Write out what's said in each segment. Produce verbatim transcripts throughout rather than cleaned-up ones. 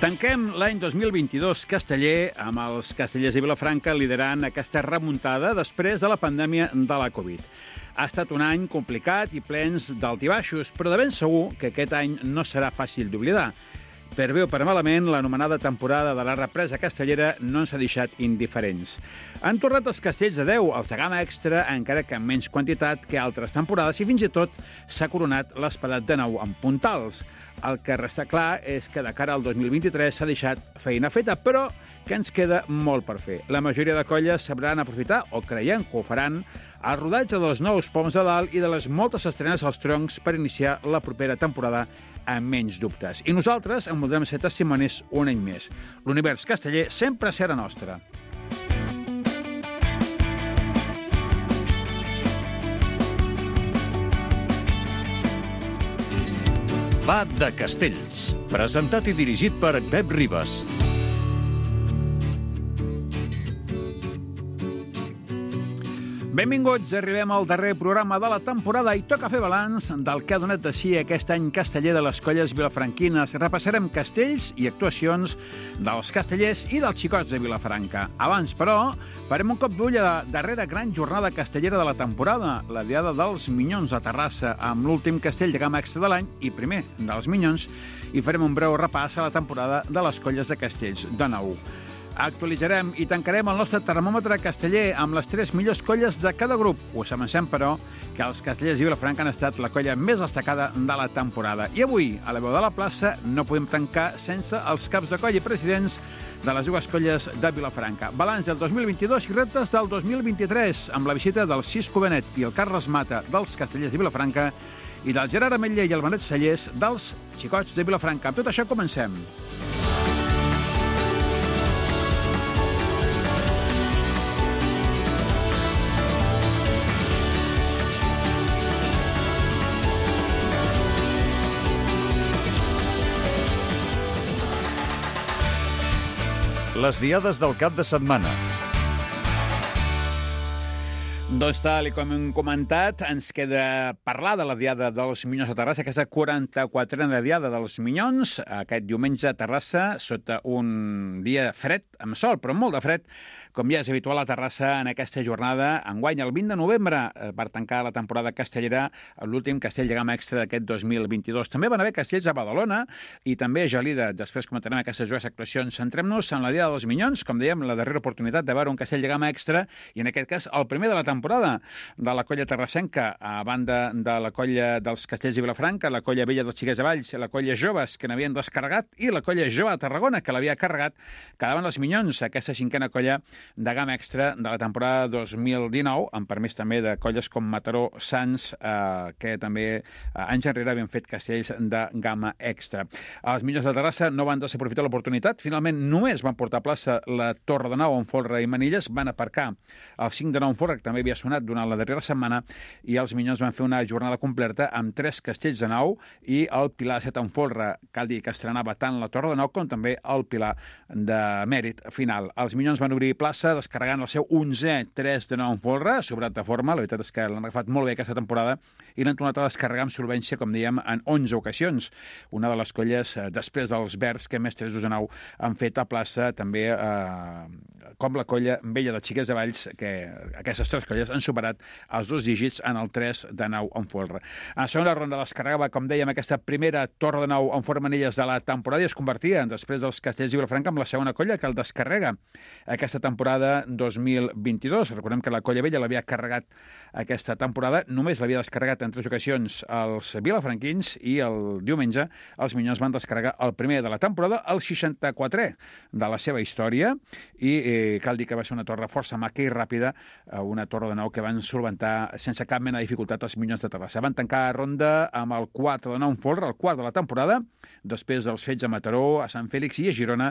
Tanquem l'any dos mil vint-i-dos casteller amb els castellers de Vilafranca liderant aquesta remuntada després de la pandèmia de la Covid. Ha estat un any complicat i plens d'altibaixos, però de ben segur que aquest any no serà fàcil d'oblidar. Per bé o per malament, l'anomenada temporada de la represa castellera no ens ha deixat indiferents. Han tornat els castells de deu, els de gamma extra, encara que en menys quantitat que altres temporades, i fins i tot s'ha coronat l'espadat de nou amb puntals. El que resta clar és que de cara al dos mil vint-i-tres s'ha deixat feina feta, però que ens queda molt per fer. La majoria de colles sabran aprofitar, o creiem que ho faran, el rodatge dels nous poms de dalt i de les moltes estrenes als troncs per iniciar la propera temporada amb menys dubtes. I nosaltres en voldrem ser testimonis un any més. L'univers casteller sempre serà nostre. Va de Castells, presentat i dirigit per Pep Ribas. Benvinguts, arribem al darrer programa de la temporada i toca fer balanç del que ha donat de si aquest any casteller de les colles vilafranquines. Repassarem castells i actuacions dels castellers i dels xicots de Vilafranca. Abans, però, farem un cop d'ull a la darrera gran jornada castellera de la temporada, la Diada dels Minyons a Terrassa, amb l'últim castell de gamma extra de l'any i primer dels Minyons, i farem un breu repàs a la temporada de les colles de castells de nou. Actualitzarem i tancarem el nostre termòmetre casteller amb les tres millors colles de cada grup. Us avancem, però, que els castellers de Vilafranca han estat la colla més destacada de la temporada. I avui, a la veu de la plaça, no podem tancar sense els caps de colla i presidents de les dues colles de Vilafranca. Balanç del dos mil vint-i-dos i reptes del dos mil vint-i-tres, amb la visita del Cisco Benet i el Carles Mata dels castellers de Vilafranca i del Gerard Ametller i el Benet Cellers dels xicots de Vilafranca. Amb tot això comencem. Les diades del cap de setmana. Doncs tal com hem comentat, ens queda parlar de la Diada dels Minyons a Terrassa, aquesta quaranta-quatrena Diada dels Minyons, aquest diumenge a Terrassa, sota un dia fred, amb sol, però molt de fred, com ja és habitual a Terrassa en aquesta jornada. Enguany, el vint de novembre, per tancar la temporada castellera, l'últim castell de gamma extra d'aquest dos mil vint-i-dos. També van haver castells a Badalona i també a Gelida. Després comentarem aquestes dues actuacions. Centrem-nos en la Diada dels Minyons, com dèiem, la darrera oportunitat de veure un castell de gamma extra, i en aquest cas el primer de la temporada de la colla terrassenca, a banda de la colla dels castells de Vilafranca, la colla vella dels Xiquets de Valls, la colla joves que n'havien descarregat i la colla jove de Tarragona que l'havia carregat, quedaven els Minyons, aquesta cinquena colla de gamma extra de la temporada dos mil dinou, amb permís també de colles com Mataró, Sants, eh, que també eh, anys enrere havien fet castells de gamma extra. Els Minyons de Terrassa no van desaprofitar l'oportunitat, finalment només van portar a plaça la Torre de Nou en folre i manilles, van aparcar el cinc de nou en folre, que també havia sonat durant la darrera setmana, i els Minyons van fer una jornada completa amb tres castells de nou i el Pilar de set en folre. Cal dir que estrenava tant la Torre de Nou com també el Pilar de mèrit final. Els Minyons van obrir plaça descarregant el seu onzè tres de nou en folre, sobrat de forma. La veritat és que l'han agafat molt bé aquesta temporada i l'han tornat a descarregar amb solvència, com dèiem, en onze ocasions. Una de les colles, després dels Verds, que més tres de nou han fet a plaça, també eh, com la colla vella dels Xiquets de Valls, que aquestes tres colles han superat els dos dígits en el tres de nou en folre. A la segona ronda descarregava, com dèiem, aquesta primera Torre de Nou en folre manilles de la temporada i es convertia, després dels castells de Vilafranca, en la segona colla que el descarrega aquesta temporada dos mil vint-i-dos. Recordem que la colla vella l'havia carregat aquesta temporada, només l'havia descarregat en tres ocasions els vilafranquins, i el diumenge els Minyons van descarregar el primer de la temporada, el seixanta-quatrè de la seva història, i eh, cal dir que va ser una torre força maca i ràpida, una Torre de Nou que van solventar sense cap mena de dificultat els Minyons de Terrassa. Van tancar ronda amb el quatre de nou en folre, el quart de la temporada. Després dels fets a Mataró, a Sant Fèlix i a Girona,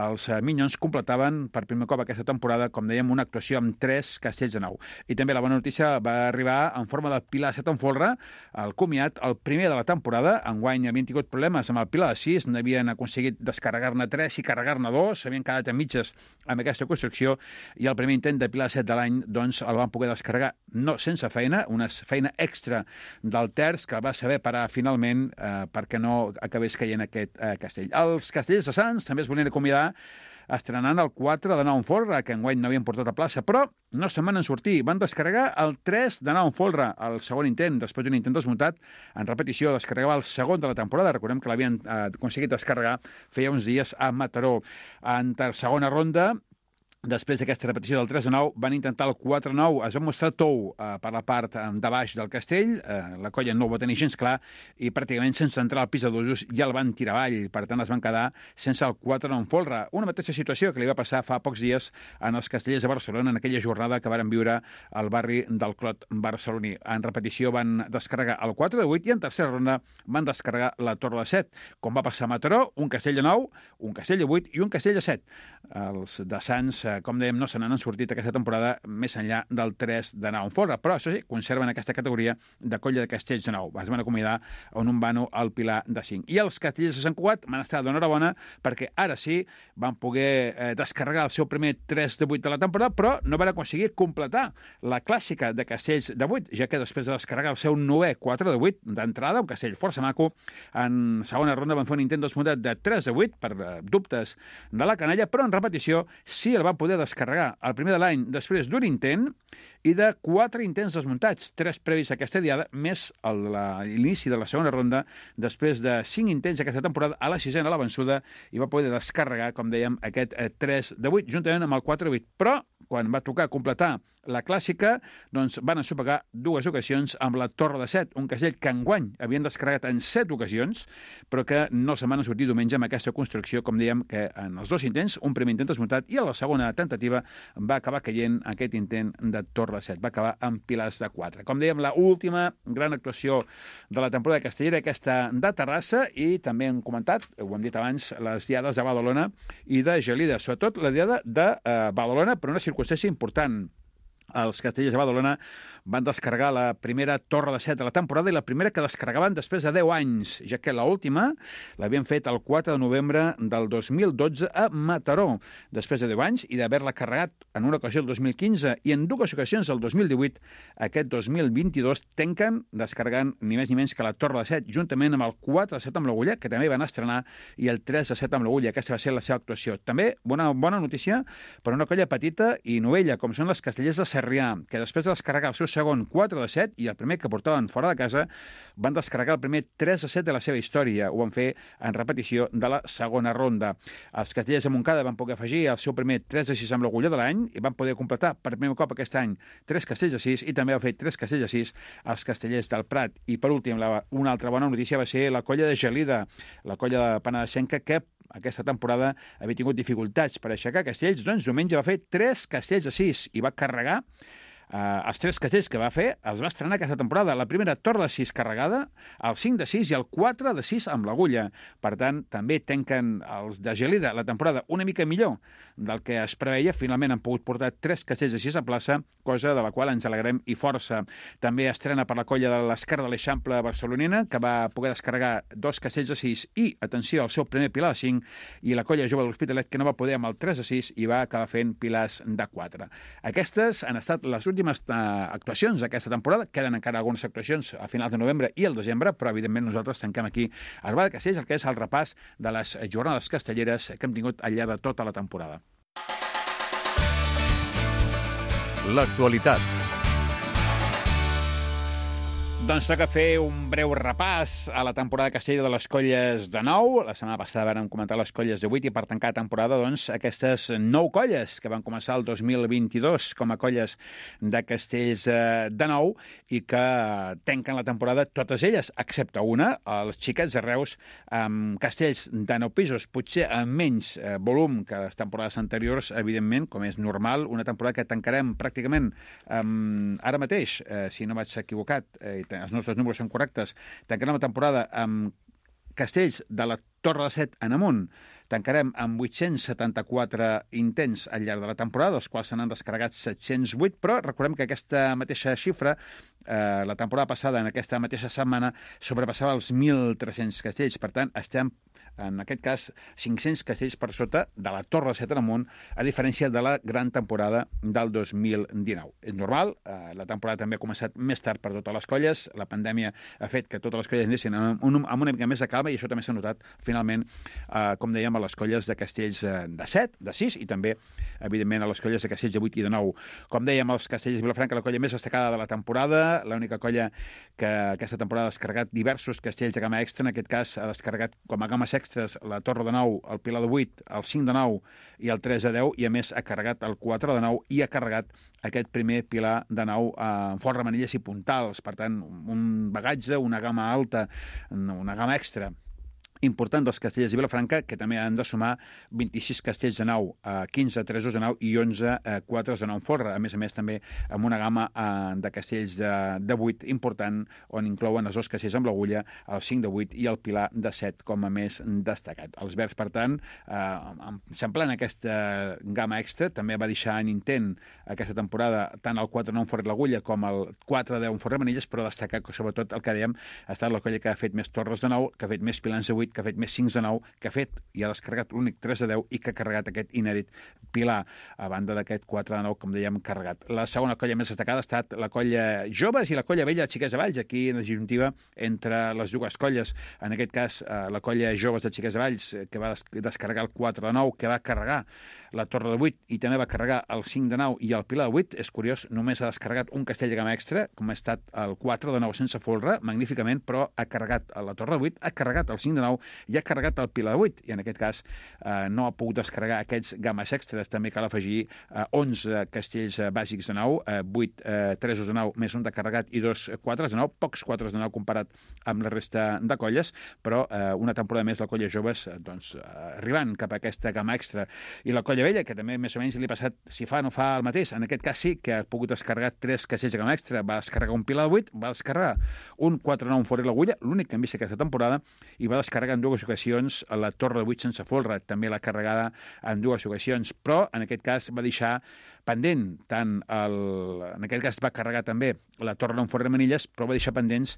els Minyons completaven per primer cop aquesta temporada temporada, com dèiem, una actuació amb tres castells de nou. I també la bona notícia va arribar en forma del Pilar set en folre, el comiat, el primer de la temporada. Enguany havien tingut problemes amb el Pilar de sis, no havien aconseguit descarregar-ne tres i carregar-ne dos, s'havien quedat a mitges amb aquesta construcció, i el primer intent de Pilar set de l'any doncs, el van poder descarregar, no sense feina, una feina extra del terç que el va saber parar finalment eh, perquè no acabés caient aquest eh, castell. Els castellers de Sants també es volien acomiadar estrenant el quatre de nou en folre, que enguany no havien portat a plaça, però no se'n van en sortir. Van descarregar el tres de nou en folre, el segon intent, després d'un intent desmuntat. En repetició, descarregava el segon de la temporada. Recordem que l'havien eh, aconseguit descarregar feia uns dies a Mataró. En ter segona ronda, després d'aquesta repetició del tres de nou, van intentar el quatre de nou, es va mostrar tou eh, per la part eh, de baix del castell, eh, la colla no ho va tenir gens clar, i pràcticament sense entrar al pis de dosos ja el van tirar avall, per tant es van quedar sense el quatre de nou en folre. Una mateixa situació que li va passar fa pocs dies en els castellers de Barcelona, en aquella jornada que varen viure al barri del Clot barceloní. En repetició van descarregar el quatre de vuit i en tercera ronda van descarregar la torre de set. Com va passar a Mataró, un castell de nou, un castell de vuit i un castell de set. Els de Sants, eh, com dèiem, no se n'han sortit aquesta temporada més enllà del tres de nou en folre, però això sí, conserven aquesta categoria de colla de castells de nou. Es van acomiadar on un vano al Pilar de cinc. I els castellers de Sant Cugat van estar d'enhorabona perquè ara sí van poder eh, descarregar el seu primer tres de vuit de la temporada, però no van aconseguir completar la clàssica de castells de vuit, ja que després de descarregar el seu novè quatre de vuit d'entrada, un castell força maco, en segona ronda van fer un intent desmuntat de tres de vuit per eh, dubtes de la canalla, però en repetició sí el van poder descarregar el primer de l'any després d'un intent i de quatre intents desmuntats, tres previs a aquesta diada, més l'inici de la segona ronda, després de cinc intents aquesta temporada, a la sisena la vençuda, i va poder descarregar, com dèiem, aquest eh, tres de vuit, juntament amb el quatre de vuit. Però, quan va tocar completar la clàssica, doncs van ensopegar dues ocasions amb la torre de set, un castell que enguany havien descarregat en set ocasions, però que no se'n van sortir diumenge amb aquesta construcció, com dèiem, que en els dos intents, un primer intent desmuntat i a la segona tentativa va acabar caient aquest intent de torre de set, va acabar amb pilars de quatre. Com dèiem, la última gran actuació de la temporada castellera, aquesta de Terrassa, i també hem comentat, ho hem dit abans, les diades de Badalona i de Gelida, sobretot la diada de eh, Badalona, per una circumstància important. Els castellers de Badalona van descarregar la primera torre de set de la temporada i la primera que descarregaven després de deu anys, ja que l'última l'havien fet el quatre de novembre del dos mil dotze a Mataró, després de deu anys, i d'haver-la carregat en una ocasió el dos mil quinze i en dues ocasions el dos mil divuit, aquest dos mil vint-i-dos tanquen descarregant ni més ni menys que la torre de set, juntament amb el quatre de set amb l'Agulla, que també van estrenar, i el tres de set amb l'Agulla. Aquesta va ser la seva actuació. També bona, bona notícia per una colla petita i novella, com són les castellers de Sarrià, que després de descarregar el seu segon quatre de set i el primer que portaven fora de casa, van descarregar el primer tres de set de la seva història. Ho van fer en repetició de la segona ronda. Els castellers de Montcada van poder afegir el seu primer tres de sis amb l'Agulla de l'any i van poder completar per primer cop aquest any tres castells de sis i també van fer tres castells de sis als castellers del Prat. I per últim, la, una altra bona notícia va ser la colla de Gelida, la colla de Penedesenca, que aquesta temporada havia tingut dificultats per aixecar castells, doncs diumenge va fer tres castells de sis i va carregar Uh, els tres castells que va fer els va estrenar aquesta temporada. La primera torre de sis carregada, el cinc de sis i el quatre de sis amb l'Agulla. Per tant, també tanquen els de Gelida la temporada una mica millor del que es preveia. Finalment han pogut portar tres castells de sis a plaça, cosa de la qual ens alegrem i força. També estrena per la colla de l'Esquerra de l'Eixample barcelonina, que va poder descarregar dos castells de sis i, atenció, el seu primer pilar de cinc, i la colla jove de l'Hospitalet, que no va poder amb el tres de sis i va acabar fent pilars de quatre. Aquestes han estat les últimes uh, actuacions d'aquesta temporada. Queden encara algunes actuacions a finals de novembre i el desembre, però evidentment nosaltres tanquem aquí a Arbal de Castells, el que és el repàs de les jornades castelleres que hem tingut al llarg de tota la temporada. L'actualitat. Doncs toca fer un breu repàs a la temporada castellera de les colles de nou. La setmana passada vam comentar les colles de vuit i per tancar la temporada, doncs, aquestes nou colles que van començar el dos mil vint-i-dos com a colles de castells de nou i que tanquen la temporada totes elles, excepte una, els xiquets de Reus, amb castells de nou pisos, potser amb menys eh, volum que les temporades anteriors, evidentment, com és normal, una temporada que tancarem pràcticament eh, ara mateix, eh, si no vaig equivocat, eh, els nostres números són correctes, tancarem la temporada amb castells de la Torre de Set en amunt, tancarem amb vuit-cents setanta-quatre intents al llarg de la temporada, dels quals se n'han descarregat set-cents vuit, però recordem que aquesta mateixa xifra, eh, la temporada passada, en aquesta mateixa setmana, sobrepassava els mil tres-cents castells. Per tant, estem, en aquest cas, cinc-cents castells per sota de la Torre de Set en amunt, a diferència de la gran temporada del dos mil dinou. És normal, eh, la temporada també ha començat més tard per totes les colles, la pandèmia ha fet que totes les colles anessin amb, un, amb una mica més de calma i això també s'ha notat, finalment, eh, com dèiem, a les colles de castells de set, de sis, i també, evidentment, a les colles de castells de vuit i de nou. Com dèiem, els castells de Vilafranca, la colla més destacada de la temporada, l'única colla que aquesta temporada ha descarregat diversos castells de gamma extra, en aquest cas ha descarregat com a gammes extras la Torre de nou, el Pilar de vuit, el cinc de nou i el tres de deu, i a més ha carregat el quatre de nou i ha carregat aquest primer Pilar de nou amb forra, manilles i puntals. Per tant, un bagatge, una gamma alta, una gamma extra important dels castells de Vilafranca, que també han de sumar vint-i-sis castells de nau, quinze tresos de nau i onze quatres de nou en forra. A més a més, també amb una gamma de castells de vuit important, on inclouen els dos castells amb l'agulla, el cinc de vuit i el Pilar de set com a més destacat. Els verds, per tant, semblant aquesta gamma extra, també va deixar en intent aquesta temporada tant el quatre de nou en forra i l'agulla com el quatre de deu en forra i manilles, però destacar que, sobretot, el que dèiem, ha estat la colla que ha fet més torres de nou, que ha fet més pilars de vuit, que ha fet més cinc de nou, que ha fet i ha descarregat l'únic tres de deu i que ha carregat aquest inèdit Pilar, a banda d'aquest quatre de nou, com dèiem, carregat. La segona colla més destacada ha estat la colla joves i la colla vella, Xiques de Valls, aquí en la disjuntiva entre les dues colles. En aquest cas, la colla joves de Xiques de Valls, que va descarregar el quatre de nou, que va carregar la Torre de vuit i també va carregar el cinc de nou i el Pilar de vuit. És curiós, només ha descarregat un castell de gamma extra, com ha estat el quatre de nou sense folre, magníficament, però ha carregat la Torre de vuit, ha carregat el cinc de nou i ha carregat el Pilar de vuit, i en aquest cas eh, no ha pogut descarregar aquests gammes extres. També cal afegir eh, onze castells eh, bàsics de nau, eh, vuit eh, tresos de nau més un de carregat i dos quatres de nau, pocs quatres de nau comparat amb la resta de colles, però eh, una temporada més la colla joves eh, doncs, eh, arribant cap a aquesta gamma extra. I la colla vella, que també més o menys li ha passat si fa o no fa el mateix, en aquest cas sí que ha pogut descarregar tres castells de gamma extra, va descarregar un Pilar de vuit, va descarregar un quatre de nou en forra i l'agulla, l'únic que hem vist aquesta temporada, i va descarregar en dues ocasions a la Torre de vuit sense folre, també l'ha carregada en dues ocasions, però en aquest cas va deixar pendent tant el... en aquest cas va carregar també la Torre de nou en forra i manilles, però va deixar pendents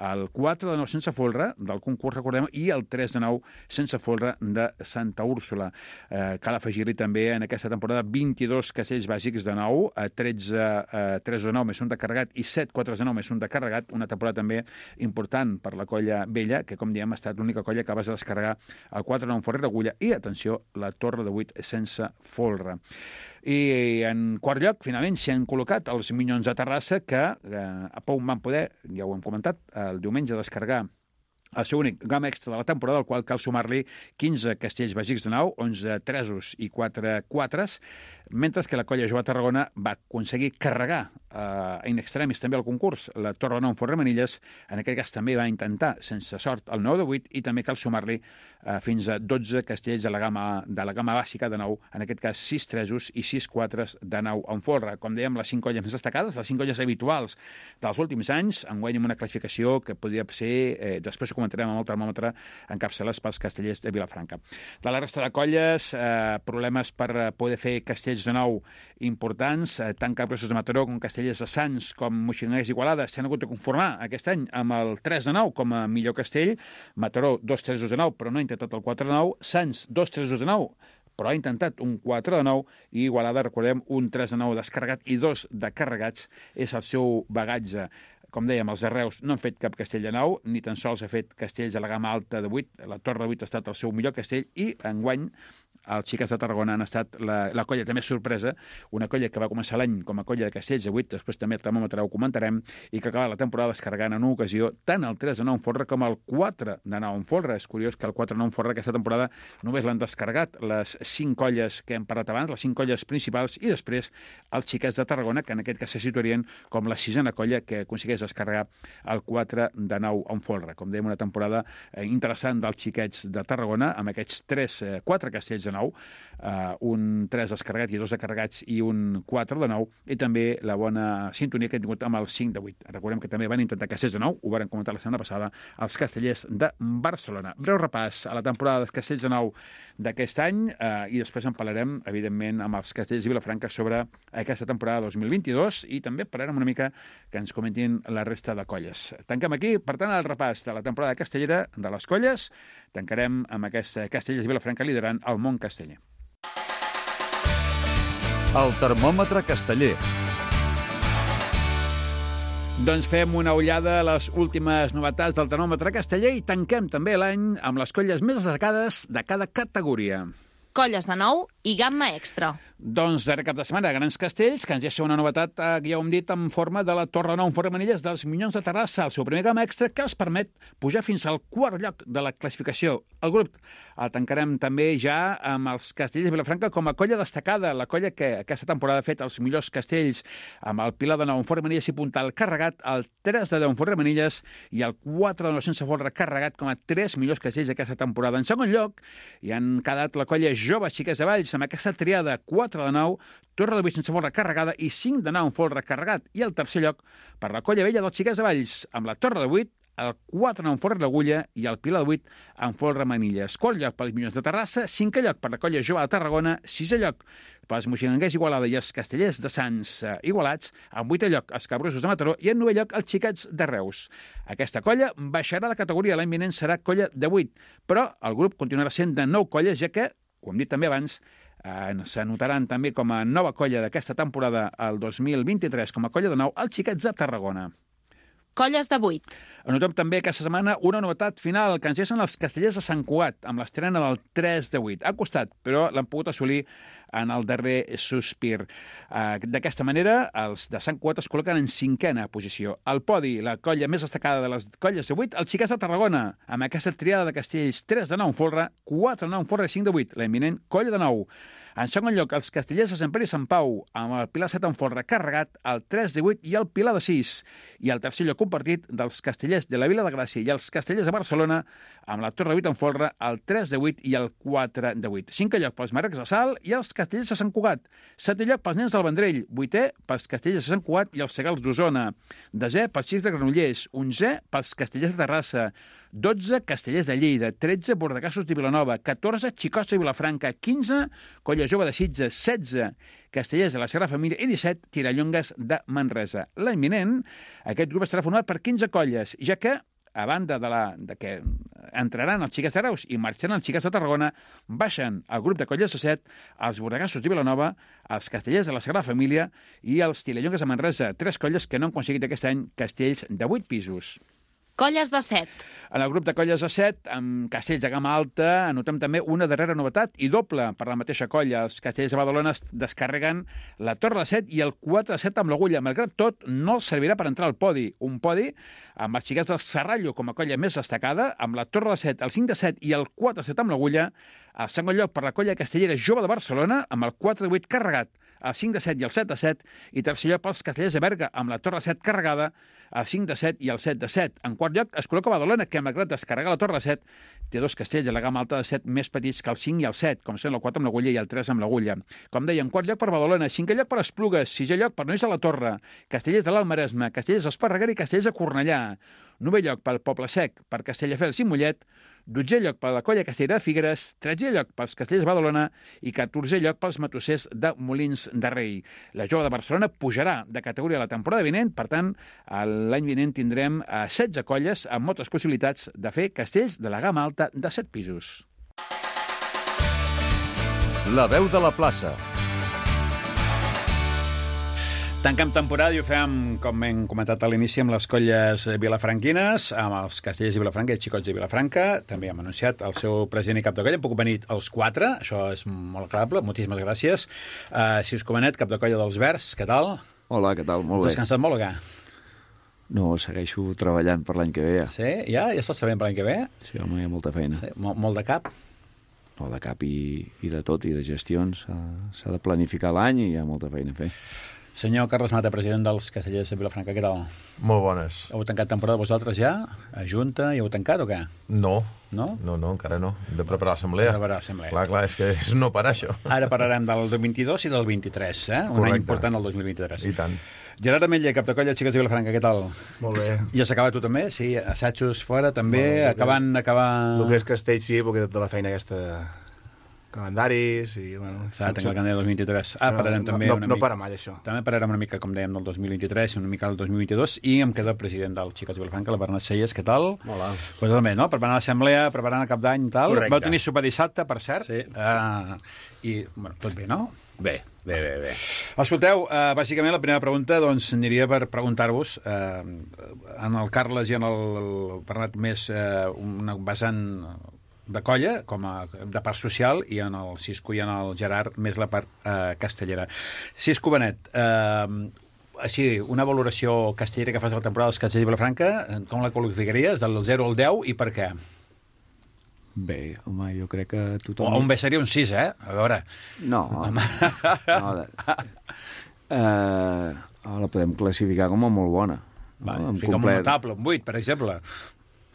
el quatre de nou sense folre del concurs, recordem, i el tres de nou sense folre de Santa Úrsula. Eh, cal afegir-li també en aquesta temporada vint-i-dos castells bàsics de nou, tretze eh, tres de nou més un de carregat i set quatre de nou més un de carregat, una temporada també important per la colla vella, que com diem ha estat l'única colla que va descarregar el quatre de nou en forra i l'agulla i, atenció, la Torre de vuit sense folre. I en quart lloc, finalment, s'hi han col·locat els Minyons de Terrassa, que eh, a Pou van poder, ja ho hem comentat, el diumenge descarregar el seu únic gamma extra de la temporada, al qual cal sumar-li quinze castells bàsics de nau, onze tresos i quatre quatres, mentre que la colla jove a Tarragona va aconseguir carregar eh, in extremis també el concurs la Torre de nou en forra i manilles. En aquest cas també va intentar, sense sort, el nou de vuit, i també cal sumar-li eh, fins a dotze castells de la gamma, de la gamma bàsica de nou, en aquest cas sis tresos i sis quatres de nou en folre. Com dèiem, les cinc colles més destacades, les cinc colles habituals dels últims anys, enguany amb una classificació que podria ser, eh, després ho comentarem amb el termòmetre, encapçalades pels castellers de Vilafranca. De la resta de colles, eh, problemes per poder fer castells de nou importants, eh, tant Capgrossos de Mataró com Castellers de Sants com Moixoners i Igualada s'han hagut de conformar aquest any amb el tres de nou com a millor castell. Mataró, dos tresos de nou, però no ha intentat el quatre de nou. Sants, dos tresos de nou, però ha intentat un quatre de nou, i Igualada, recordem, un tres de nou descarregat i dos de carregats és el seu bagatge. Com dèiem, els de Reus no han fet cap castell de nau, ni tan sols ha fet castells a la gamma alta de vuit. La Torre de vuit ha estat el seu millor castell, i enguany els Xiques de Tarragona han estat la, la colla també sorpresa, una colla que va començar l'any com a colla de castells de vuit, després també el termòmetre ho comentarem, i que acaba la temporada descarregant en una ocasió tant el tres de nou en folre com el quatre de nou en folre. És curiós que el quatre de nou en folre aquesta temporada només l'han descarregat les cinc colles que hem parlat abans, les cinc colles principals, i després els Xiques de Tarragona, que en aquest cas se situarien com la sisena colla que aconsegueix descarregar el quatre de nou en folre. Com dèiem, una temporada interessant dels Xiquets de Tarragona, amb aquests tres, quatre castells de de nou, uh, un tres descarregat i dos de carregats i un quatre de nou, i també la bona sintonia que hem tingut amb el cinc de vuit. Recordem que també van intentar castells de nou, ho van comentar la setmana passada, els castellers de Barcelona. Breu repàs a la temporada dels castells de nou d'aquest any eh, i després en parlarem, evidentment, amb els castellers de Vilafranca sobre aquesta temporada dos mil vint-i-dos i també parlarem una mica que ens comentin la resta de colles. Tanquem aquí, per tant, el repàs de la temporada castellera de les colles. Tancarem amb aquests castellers de Vilafranca liderant el món casteller. El termòmetre casteller. Doncs fem una ullada a les últimes novetats del termòmetre casteller i tanquem també l'any amb les colles més destacades de cada categoria. Colles de nou i gamma extra. Doncs darrer cap de setmana, Grans Castells, que ens deixa una novetat, eh, que ja ho hem dit, en forma de la Torre Nou en Fort de Manilles dels Minyons de Terrassa, el seu primer gamma extra, que els permet pujar fins al quart lloc de la classificació. El grup el tancarem també ja amb els castellers de Vilafranca com a colla destacada, la colla que aquesta temporada ha fet els millors castells, amb el Pilar de Nou en Fort de Manilles i Puntal carregat, el tres de deu en Fort de Manilles i el quatre de nou sense folre carregat com a tres millors castells d'aquesta temporada. En segon lloc, hi han quedat la colla Jove Xiquets de Valls, amb aquesta triada quatre de nou, Torre de vuit sense folre carregada i cinc de nou en folre carregat. I el tercer lloc per la colla vella dels Xiquets de Valls, amb la Torre de vuit, el quatre de nou en folre d'agulla i el Pilar de vuit en folre manilles. Quart lloc pels Minyons de Terrassa, cinquè lloc per la colla Jove de Tarragona, sisè lloc pels Moixigranguers Igualada i els Castellers de Sants eh, Igualats, en vuitè lloc els Cabrosos de Mataró i en novè lloc els Xiquets de Reus. Aquesta colla baixarà de categoria, l'any vinent serà colla de vuit, però el grup continuarà sent de nou colles, ja que, com hem dit també abans, Eh, s'anotaran també com a nova colla d'aquesta temporada el dos mil vint-i-tres com a colla de nou els Xiquets de Tarragona. Colles de vuit. Anotem també aquesta setmana una novetat final que ens deixen els castellers de Sant Cugat amb l'estrena del tres de vuit. Ha costat, però l'han pogut assolir en el darrer sospir. Uh, D'aquesta manera, els de Sant Cugat es col·loquen en cinquena posició. Al podi, la colla més destacada de les colles de vuit, els Xiquets de Tarragona, amb aquesta triada de castells tres de nou en folre, quatre de nou en folre i cinc de vuit, la eminent colla de nou. En segon lloc, els castellers de Sant Pere i Sant Pau, amb el Pilar set en folre carregat, el tres de vuit i el Pilar de sis. I el tercer lloc compartit dels castellers de la Vila de Gràcia i els castellers de Barcelona, amb la Torre de vuit en folre, el tres de vuit i el quatre de vuit. Cinquè lloc pels Marrecs de Salt i els castellers de Sant Cugat. Setè lloc pels Nens del Vendrell. Vuitè pels castellers de Sant Cugat i els Segals d'Osona. Desè pels Xics de Granollers. Onzè pels castellers de Terrassa. dotze castellers de Lleida, tretze bordegassos de Vilanova, catorze xicots de Vilafranca, quinze colla jove de Sitges, setze castellers de la Sagrada Família i disset tirallongues de Manresa. L'any vinent, aquest grup estarà format per quinze colles, ja que, a banda de, la, de que entraran els Xiquets de Reus i marxaran els Xiquets de Tarragona, baixen el grup de colles de set, els bordegassos de Vilanova, els castellers de la Sagrada Família i els tirallongues de Manresa, tres colles que no han aconseguit aquest any castells de vuit pisos. Colles de set. En el grup de colles de set, amb castells de gamma alta, anotem també una darrera novetat i doble per la mateixa colla. Els castells de Badalona descarreguen la Torre de set i el quatre de set amb l'agulla. Malgrat tot, no els servirà per entrar al podi. Un podi amb els Xiquets del Serrallo com a colla més destacada, amb la Torre de set, el cinc de set i el quatre de set amb l'agulla. El segon lloc per la colla castellera Jove de Barcelona, amb el quatre de vuit carregat, el cinc de set i el set de set, i tercer lloc pels castellers de Berga, amb la Torre de set carregada, el cinc de set i el set de set. En quart lloc es col·loca Badalona, que malgrat descarregar la Torre de set, té dos castells de la gamma alta de set més petits que el cinc i el set, com són el quatre amb l'agulla i el tres amb l'agulla. Com deia, en quart lloc per Badalona, cinquè lloc per Esplugues, sisè lloc per Nois de la Torre, castellers de l'Almaresme, castellers d'Esparreguera i castellers de Cornellà, novè lloc pel Poble Sec, per Castelldefels i Mollet, dotzè lloc per la colla castellera de Figueres, tretzè lloc pels castellers de Badalona i catorzè lloc pels matossers de Molins de Rei. La Jove de Barcelona pujarà de categoria la temporada vinent, per tant, l'any vinent tindrem setze colles amb moltes possibilitats de fer castells de la gamma alta de set pisos. La veu de la plaça. Tanquem temporada i ho fem, com hem comentat a l'inici, amb les colles vilafranquines, amb els castellers de Vilafranca i els xicots de Vilafranca. També hem anunciat el seu president i cap de colla. Hem pogut venir els quatre, això és molt agradable. Moltíssimes gràcies. Uh, si us Comanet, cap de colla dels Verds, què tal? Hola, què tal? Molt Has bé. descansat molt o què? No, segueixo treballant per l'any que ve. Ja. Sí? Ja? Ja estàs sabent per l'any que ve? Sí, home, hi ha molta feina. Sí. Mol, molt de cap? Molt de cap i, i de tot, i de gestions. S'ha de planificar l'any i hi ha molta feina a fer. Senyor Carles Mata, president dels Castellers de Vilafranca, què tal? Molt bones. Heu tancat temporada vosaltres ja? A Junta? I heu tancat o què? No. No? No, no, encara no. Hem de preparar l'assemblea. Hem de preparar l'assemblea. Clar, clar, és que és no parar, això. Ara parlarem del dos mil vint-i-dos i del vint-i-tres, eh? Un Correcte. any important, el dos mil vint-i-tres. I tant. Gerard Ametller, cap de colla, Xiques de Vilafranca, què tal? Molt bé. Ja s'acaba tu també? Sí, assajos fora també, Bueno, acabant... acabar... El que és Castell sí, perquè tota la feina aquesta... calendaris i... Bueno, S'ha de tancar el calendari del dos mil vint-i-tres. Ah, no, parlarem no, també no, una no mica... para mai, això. També parlarem una mica, com dèiem, del dos mil vint-i-tres, una mica del dos mil vint-i-dos, i em queda el president del Xiques de Vilafranca, la Bernat Selles, què tal? Hola. Pues també, no? Preparant l'assemblea, preparant el cap d'any i tal. Correcte. Vau tenir sopar dissabte, per cert. Sí. Uh, I, bueno, tot bé, no? Bé, bé, bé, bé. Escolteu, uh, bàsicament la primera pregunta doncs, aniria per preguntar-vos uh, en el Carles i en el, el Bernat més uh, una vessant de colla, com a de part social, i en el Cisco i en el Gerard més la part uh, castellera. Cisco Benet, uh, així, una valoració castellera que fas de la temporada dels Castellers de Vilafranca, com la qualificaries, del zero al deu, i per què? Bé, home, jo crec que O tothom... un bé seria un sis, eh? A veure... No, home. no de... eh, la podem classificar com a molt bona. Va, no? fica un notable, un vuit, per exemple.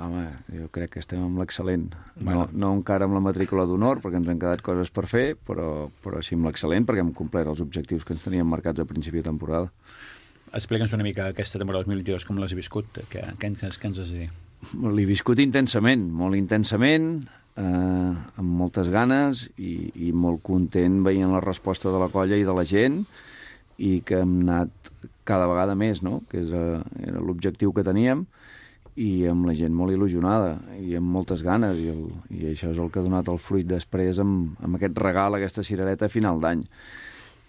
Home, jo crec que estem amb l'excel·lent. Bueno. No, no encara amb la matrícula d'honor, perquè ens han quedat coses per fer, però, però sí amb l'excel·lent, perquè hem complert els objectius que ens teníem marcats a principi de temporada. Explica'ns una mica aquesta temporada dos mil vint-i-dos, com l'has viscut, què, què, ens, què ens has de dir? L'he viscut intensament, molt intensament, eh, amb moltes ganes i, i molt content veient la resposta de la colla i de la gent, i que hem anat cada vegada més, no? Que és, eh, era l'objectiu que teníem, i amb la gent molt il·lusionada i amb moltes ganes, i, el, i això és el que ha donat el fruit després amb, amb aquest regal, aquesta cirereta a final d'any.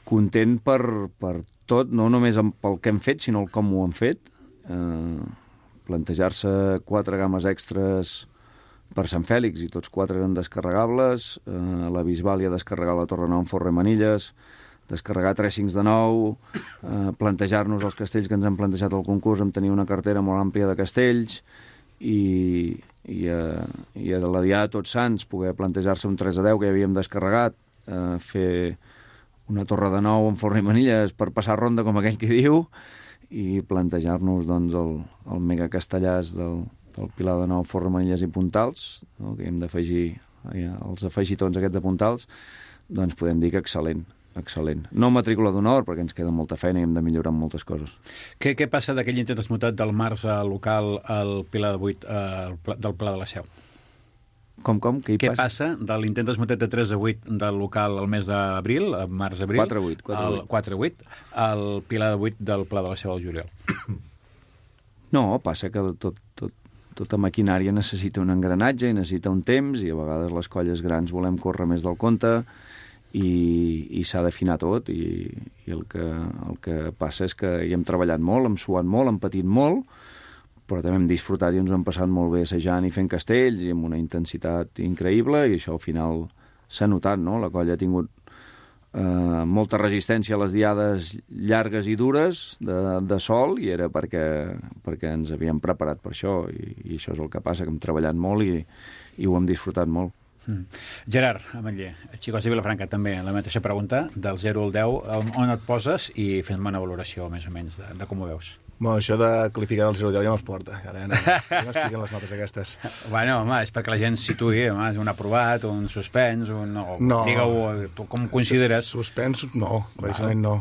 Content per, per tot, no només amb, pel que hem fet, sinó el com ho hem fet. Eh, plantejar-se quatre games extres per Sant Fèlix, i tots quatre eren descarregables, eh, la Bisbàlia descarregar la Torre Nou en Forre Manilles, descarregar tres cincs de nou, eh, plantejar-nos els castells que ens han plantejat al concurs, amb tenir una cartera molt àmplia de castells, i, i, eh, i a la Diada de Tots Sants poder plantejar-se un tres a deu que ja havíem descarregat, eh, fer una torre de nou en Forre i Manilles per passar ronda, com aquell que diu, i plantejar-nos doncs, el, el mega castellàs del, del Pilar de Nou, Forre, Manilles i Puntals, no? Que hem d'afegir ja, els afegitons aquests de Puntals, doncs podem dir que excel·lent. excel·lent. No matrícula d'honor, perquè ens queda molta feina i hem de millorar en moltes coses. Què, què passa d'aquell intent esmutat del març al local al Pilar de vuit eh, del Pla de la Seu? Com, com? Què hi Què passa? passa de l'intent esmutat de tres a vuit del local al mes d'abril, a març-abril, quatre a vuit, quatre a vuit, al Pilar de vuit del Pla de la Seu al juliol? No, passa que tot, tot, tota maquinària necessita un engranatge i necessita un temps, i a vegades les colles grans volem córrer més del compte, i, i s'ha d'afinar tot, i, i el, que, el que passa és que hi hem treballat molt, hem suat molt, hem patit molt, però també hem disfrutat i ens ho hem passat molt bé assajant i fent castells, i amb una intensitat increïble, i això al final s'ha notat, no? La colla ha tingut eh, molta resistència a les diades llargues i dures de, de sol, i era perquè, perquè ens havíem preparat per això, i, i això és el que passa, que hem treballat molt i, i ho hem disfrutat molt. Mm. Gerard Ametller, Xiques de Vilafranca, també la mateixa pregunta, del zero al deu, on et poses, i fem-me una valoració més o menys de, de com ho veus. Bueno, això de qualificar del zero al deu ja no es porta, ara ja no, ja no es fiquen les notes aquestes. Bueno, home, és perquè la gent situï, home, un aprovat, un suspens, un... No, no. Digue-ho, tu com consideres? Suspensos, no, claríssimament no.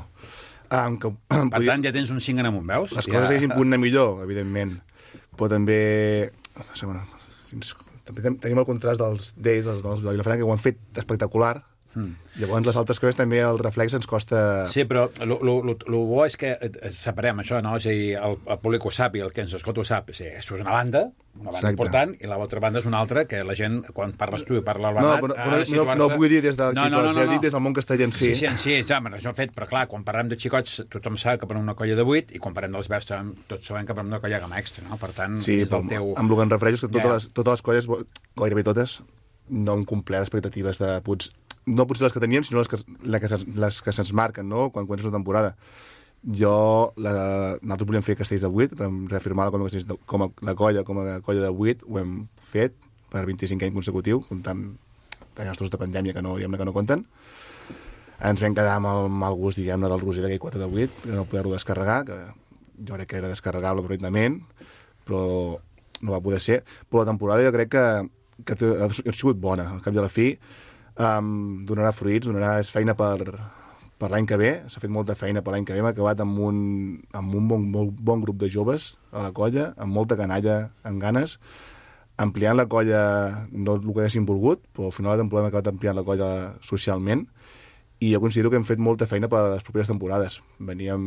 Ah, que, per podia... tant, ja tens un cinc en amunt, veus? Les ja... coses haguessin pogut anar millor, evidentment, però també... També tenim el contrast dels d'ells, dels dels de Vilafranca, que ho han fet espectacular. Mm. Llavors, les altres coses també el reflex ens costa... Sí, però el bo és que separem això, no? És a dir, el, el públic ho sap i el que ens escolta ho sap. Sí, això és una banda, una banda Exacte. important, i l'altra banda és una altra, que la gent, quan parles tu i parla el Bernat... No, però, però no, no, no vull dir des del no, xicot, no, no, no, no. Dit des del món castellà en si. Sí, sí, sí, ja, això fet, però clar, quan parlem de xicots, tothom sap que parlem una colla de vuit, i quan parlem dels verds, tots sabem que parlem d'una colla gamma extra, no? Per tant, sí, és el teu... amb el que em refereixo és que totes, ja. les, totes les colles, gairebé totes, no han complert expectatives de... Pots, no potser les que teníem, sinó les que, les que, les que se'ns marquen, no?, quan comença la temporada. Jo, la, nosaltres volíem fer castells de vuit, vam reafirmar com a, com a, la colla com a colla de vuit, ho hem fet per vint-i-cinc anys consecutiu, comptant els dos de pandèmia que no, diguem-ne que no compten. ens vam quedar amb el mal gust, diguem-ne, del Roser d'aquell quatre de vuit, que no poder-lo descarregar, que jo crec que era descarregable perfectament, però no va poder ser. Però la temporada jo crec que, que ha sigut bona. Al cap i a la fi um, donarà fruits, donarà feina per, per l'any que ve. S'ha fet molta feina per l'any que ve. Hem acabat amb un, amb un bon, molt bon grup de joves a la colla, amb molta canalla, amb ganes, ampliant la colla, no el que haguéssim volgut, però al final de la temporada hem acabat ampliant la colla socialment, i jo considero que hem fet molta feina per a les properes temporades. Veníem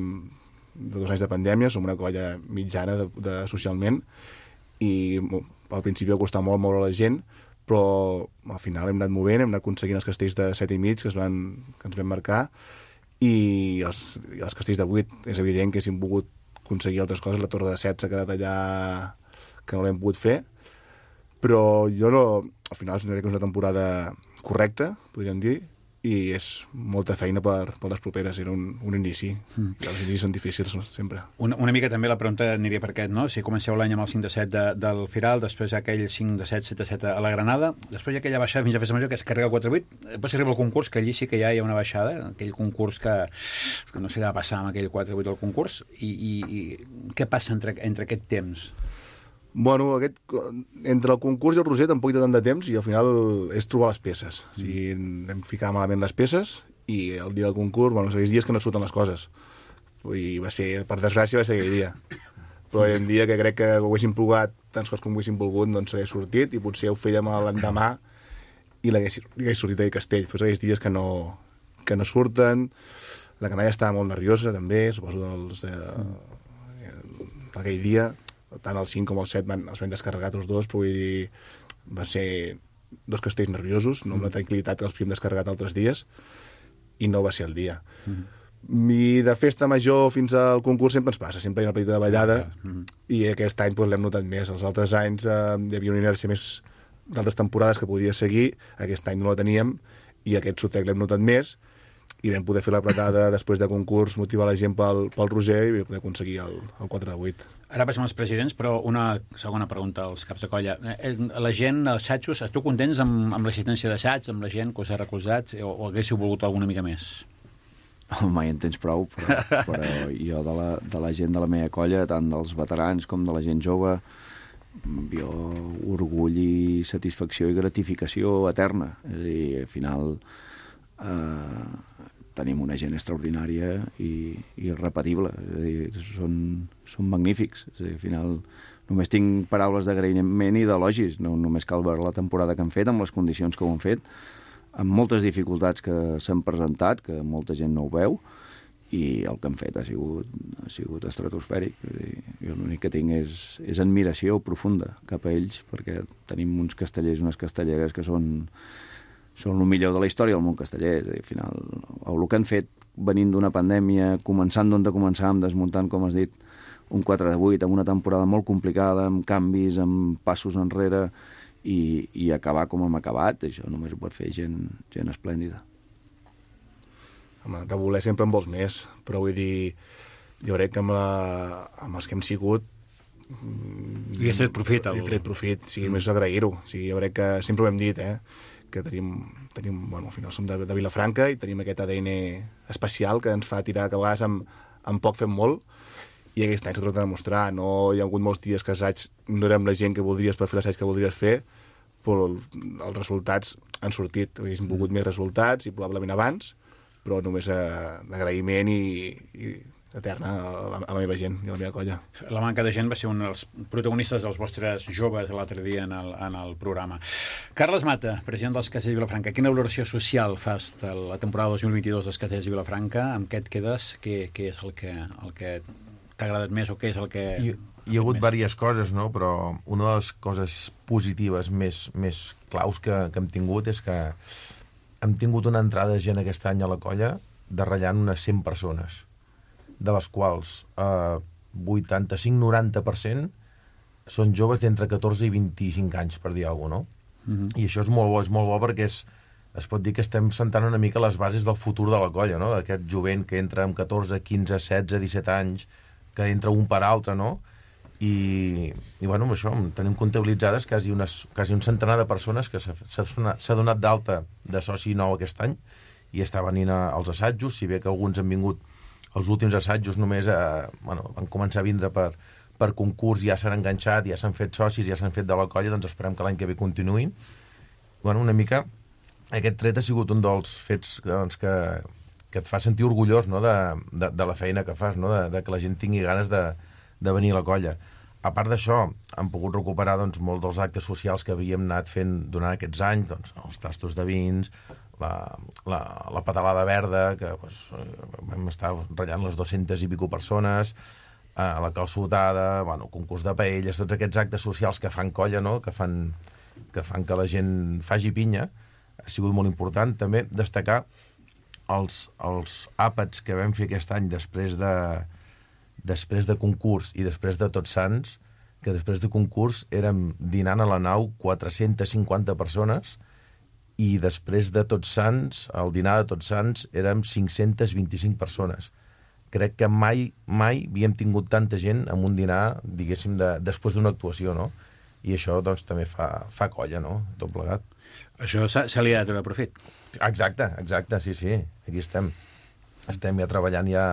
de dos anys de pandèmia, som una colla mitjana de, de socialment, i al principi va costar molt moure la gent, però al final hem anat movent, hem anat aconseguint els castells de set i mig que, es van, que ens vam marcar, i els, i els castells de vuit. És evident que si hem pogut aconseguir altres coses, la torre de set s'ha quedat allà que no l'hem pogut fer, però jo no, al final crec que és una temporada correcta, podríem dir, i és molta feina per, per les properes. Era un, un inici, mm. i els inicis són difícils sempre. Una, una mica també la pregunta aniria per aquest, no? Si comenceu l'any amb el cinc de set de, del Firal, després aquell cinc de set, set de set a la Granada, després hi ha aquella baixada fins a Festa Major que es carrega el quatre vuit, després arriba el concurs, que allí sí que ja hi ha una baixada, aquell concurs que, que no sé què va passar amb aquell quatre vuit del concurs, i, i, i què passa entre, entre aquest temps? Bueno, aquest, entre el concurs i el Roser tampoc hi ha tant de temps, i al final és trobar les peces. Mm. O sigui, hem ficat malament les peces, i el dia del concurs, bueno, aquells dies que no surten les coses. I va ser, per desgràcia, va ser aquell dia. Però hi ha un dia que crec que ho haguéssim provat tants coses com ho haguéssim volgut, doncs s'hagués sortit, i potser ho fèiem l'endemà i l'hagués sortit aquell castell. Però aquells dies que no, que no surten, la canalla estava molt nerviosa, també, suposo, dels, eh, aquell dia. Tant el cinc com el set van, els van descarregar tots dos, però vull dir, va ser dos castells nerviosos, no amb la tranquil·litat que els havíem descarregat altres dies, i no va ser el dia. Mm-hmm. I de festa major fins al concurs sempre ens passa, sempre hi ha una petita davallada, mm-hmm. i aquest any doncs, l'hem notat més. Els altres anys eh, hi havia una inèrcia més d'altres temporades que podia seguir, aquest any no la teníem, i aquest sotec l'hem notat més, i vam poder fer l'apretada després de concurs, motivar la gent pel, pel Roser, i vam poder aconseguir el, el quatre de vuit. Ara passem als presidents, però una segona pregunta als caps de colla. La gent, els xatxos, esteu contents amb, amb l'assistència d'assaigs, amb la gent que us ha recolzat, o, o haguéssiu volgut alguna mica més? Oh, mai en tens prou, però, però jo de la, de la gent de la meva colla, tant dels veterans com de la gent jove, jo orgull i satisfacció i gratificació eterna. És a dir, al final eh, tenim una gent extraordinària i, i irrepetible. És a dir, són, són magnífics. És a dir, al final només tinc paraules d'agraïment i d'elogis. No, només cal veure la temporada que han fet, amb les condicions que ho han fet, amb moltes dificultats que s'han presentat, que molta gent no ho veu, i el que han fet ha sigut, ha sigut estratosfèric. Jo l'únic que tinc és, és admiració profunda cap a ells, perquè tenim uns castellers, unes castelleres que són, són el millor de la història del món casteller. És a dir, al final, el que han fet venint d'una pandèmia, començant d'on de començar, desmuntant, com has dit, un quatre de vuit, amb una temporada molt complicada, amb canvis, amb passos enrere, i, i acabar com hem acabat, això només ho pot fer gent, gent esplèndida. Home, de voler sempre en vols més, però vull dir, jo crec que amb, la, amb els que hem sigut li has tret profit. Li he tret profit, sí, mm. més agrair-ho. O sigui, jo crec que sempre ho hem dit, eh, que tenim, tenim bueno, al final som de, de Vilafranca i tenim aquest A D N especial que ens fa tirar, que a vegades amb, amb poc fem molt, i aquest any s'ha tornat a demostrar. No hi ha hagut molts dies que assaig no érem la gent que voldries per fer l'assaig que voldries fer, però els resultats han sortit. Haguéssim volgut més resultats i probablement abans, però només d'agraïment i, i eterna a la, a la meva gent i a la meva colla. La manca de gent va ser un dels protagonistes dels vostres joves l'altre dia en el, en el programa. Carles Mata, president dels Castells de Vilafranca, quina valoració social fas de la temporada dos mil vint-i-dos dels Castells de Vilafranca? Amb què et quedes? Què, què és el que, el que t'ha agradat més o què és el que... Hi, hi ha hagut diverses coses, no? Però una de les coses positives més, més claus que, que hem tingut és que hem tingut una entrada de gent aquest any a la colla de ratllant unes cent persones, de les quals eh, vuitanta-cinc a noranta per cent són joves d'entre catorze i vint-i-cinc anys, per dir alguna cosa, no? Mm-hmm. I això és molt bo, és molt bo perquè és, es pot dir que estem sentant una mica les bases del futur de la colla, no? Aquest jovent que entra amb catorze, quinze, setze, disset anys, que entra un per altre, no? I, i bueno, amb això tenim comptabilitzades quasi, unes, quasi un centenar de persones que s'ha donat, donat d'alta de soci nou aquest any, i està venint als assajos, si bé que alguns han vingut els últims assajos només eh, bueno, van començar a vindre per, per concurs, ja s'han enganxat, ja s'han fet socis, ja s'han fet de la colla, doncs esperem que l'any que ve continuïn. Bueno, una mica aquest tret ha sigut un dels fets doncs, que, que et fa sentir orgullós, no?, de, de, de la feina que fas, no?, de, de que la gent tingui ganes de, de venir a la colla. A part d'això, hem pogut recuperar doncs, molts dels actes socials que havíem anat fent durant aquests anys, doncs, els tastos de vins, la, la, la pedalada verda, que doncs, vam estar ratllant les dues-centes i pico persones, eh, la calçotada, bueno, concurs de paelles, tots aquests actes socials que fan colla, no?, que fan, que fan que la gent faci pinya, ha sigut molt important. També destacar els, els àpats que vam fer aquest any després de, després de concurs i després de Tots Sants, que després de concurs érem dinant a la nau quatre-centes cinquanta persones i després de Tots Sants, al dinar de Tots Sants, érem cinc-centes vint-i-cinc persones. Crec que mai, mai havíem tingut tanta gent en un dinar, diguéssim, de, després d'una actuació, no? I això, doncs, també fa, fa colla, no?, tot plegat. Això se li ha de treure profit. Exacte, exacte, sí, sí, aquí estem. Estem ja treballant ja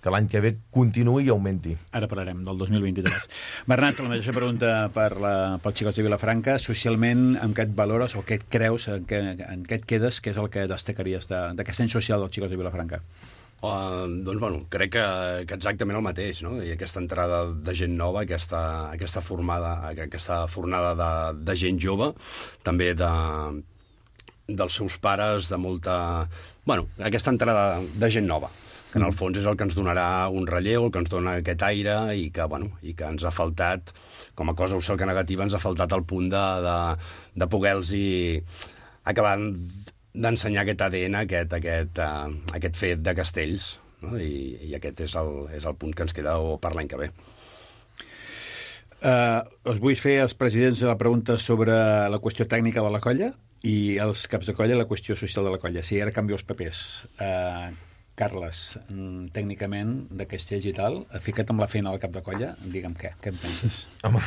que l'any que ve continuï i augmenti. Ara parlarem del dos mil vint-i-tres. Bernat, la mateixa pregunta per la, pels xicots de Vilafranca. Socialment, amb què et valores o què et creus, en què, en què et quedes, què és el que destacaries d'aquest any social dels xicots de Vilafranca? Uh, doncs, bueno, crec que, que exactament el mateix, no? I aquesta entrada de gent nova, aquesta, aquesta formada, aquesta fornada de, de gent jove, també de, dels seus pares, de molta... Bueno, aquesta entrada de gent nova, que en el fons és el que ens donarà un relleu, el que ens dona aquest aire i que, bueno, i que ens ha faltat, com a cosa que negativa, ens ha faltat el punt de, de, de poder-los acabar d'ensenyar aquest A D N, aquest, aquest, uh, aquest fet de Castells, no? I, i aquest és el, és el punt que ens queda per l'any que ve. Uh, us vull fer als presidents la pregunta sobre la qüestió tècnica de la colla i els caps de colla la qüestió social de la colla. Sí, ara canvio els papers. Uh, Carles, tècnicament, de Castells i tal, fica't amb la feina al cap de colla, digue'm què, què en penses? Home,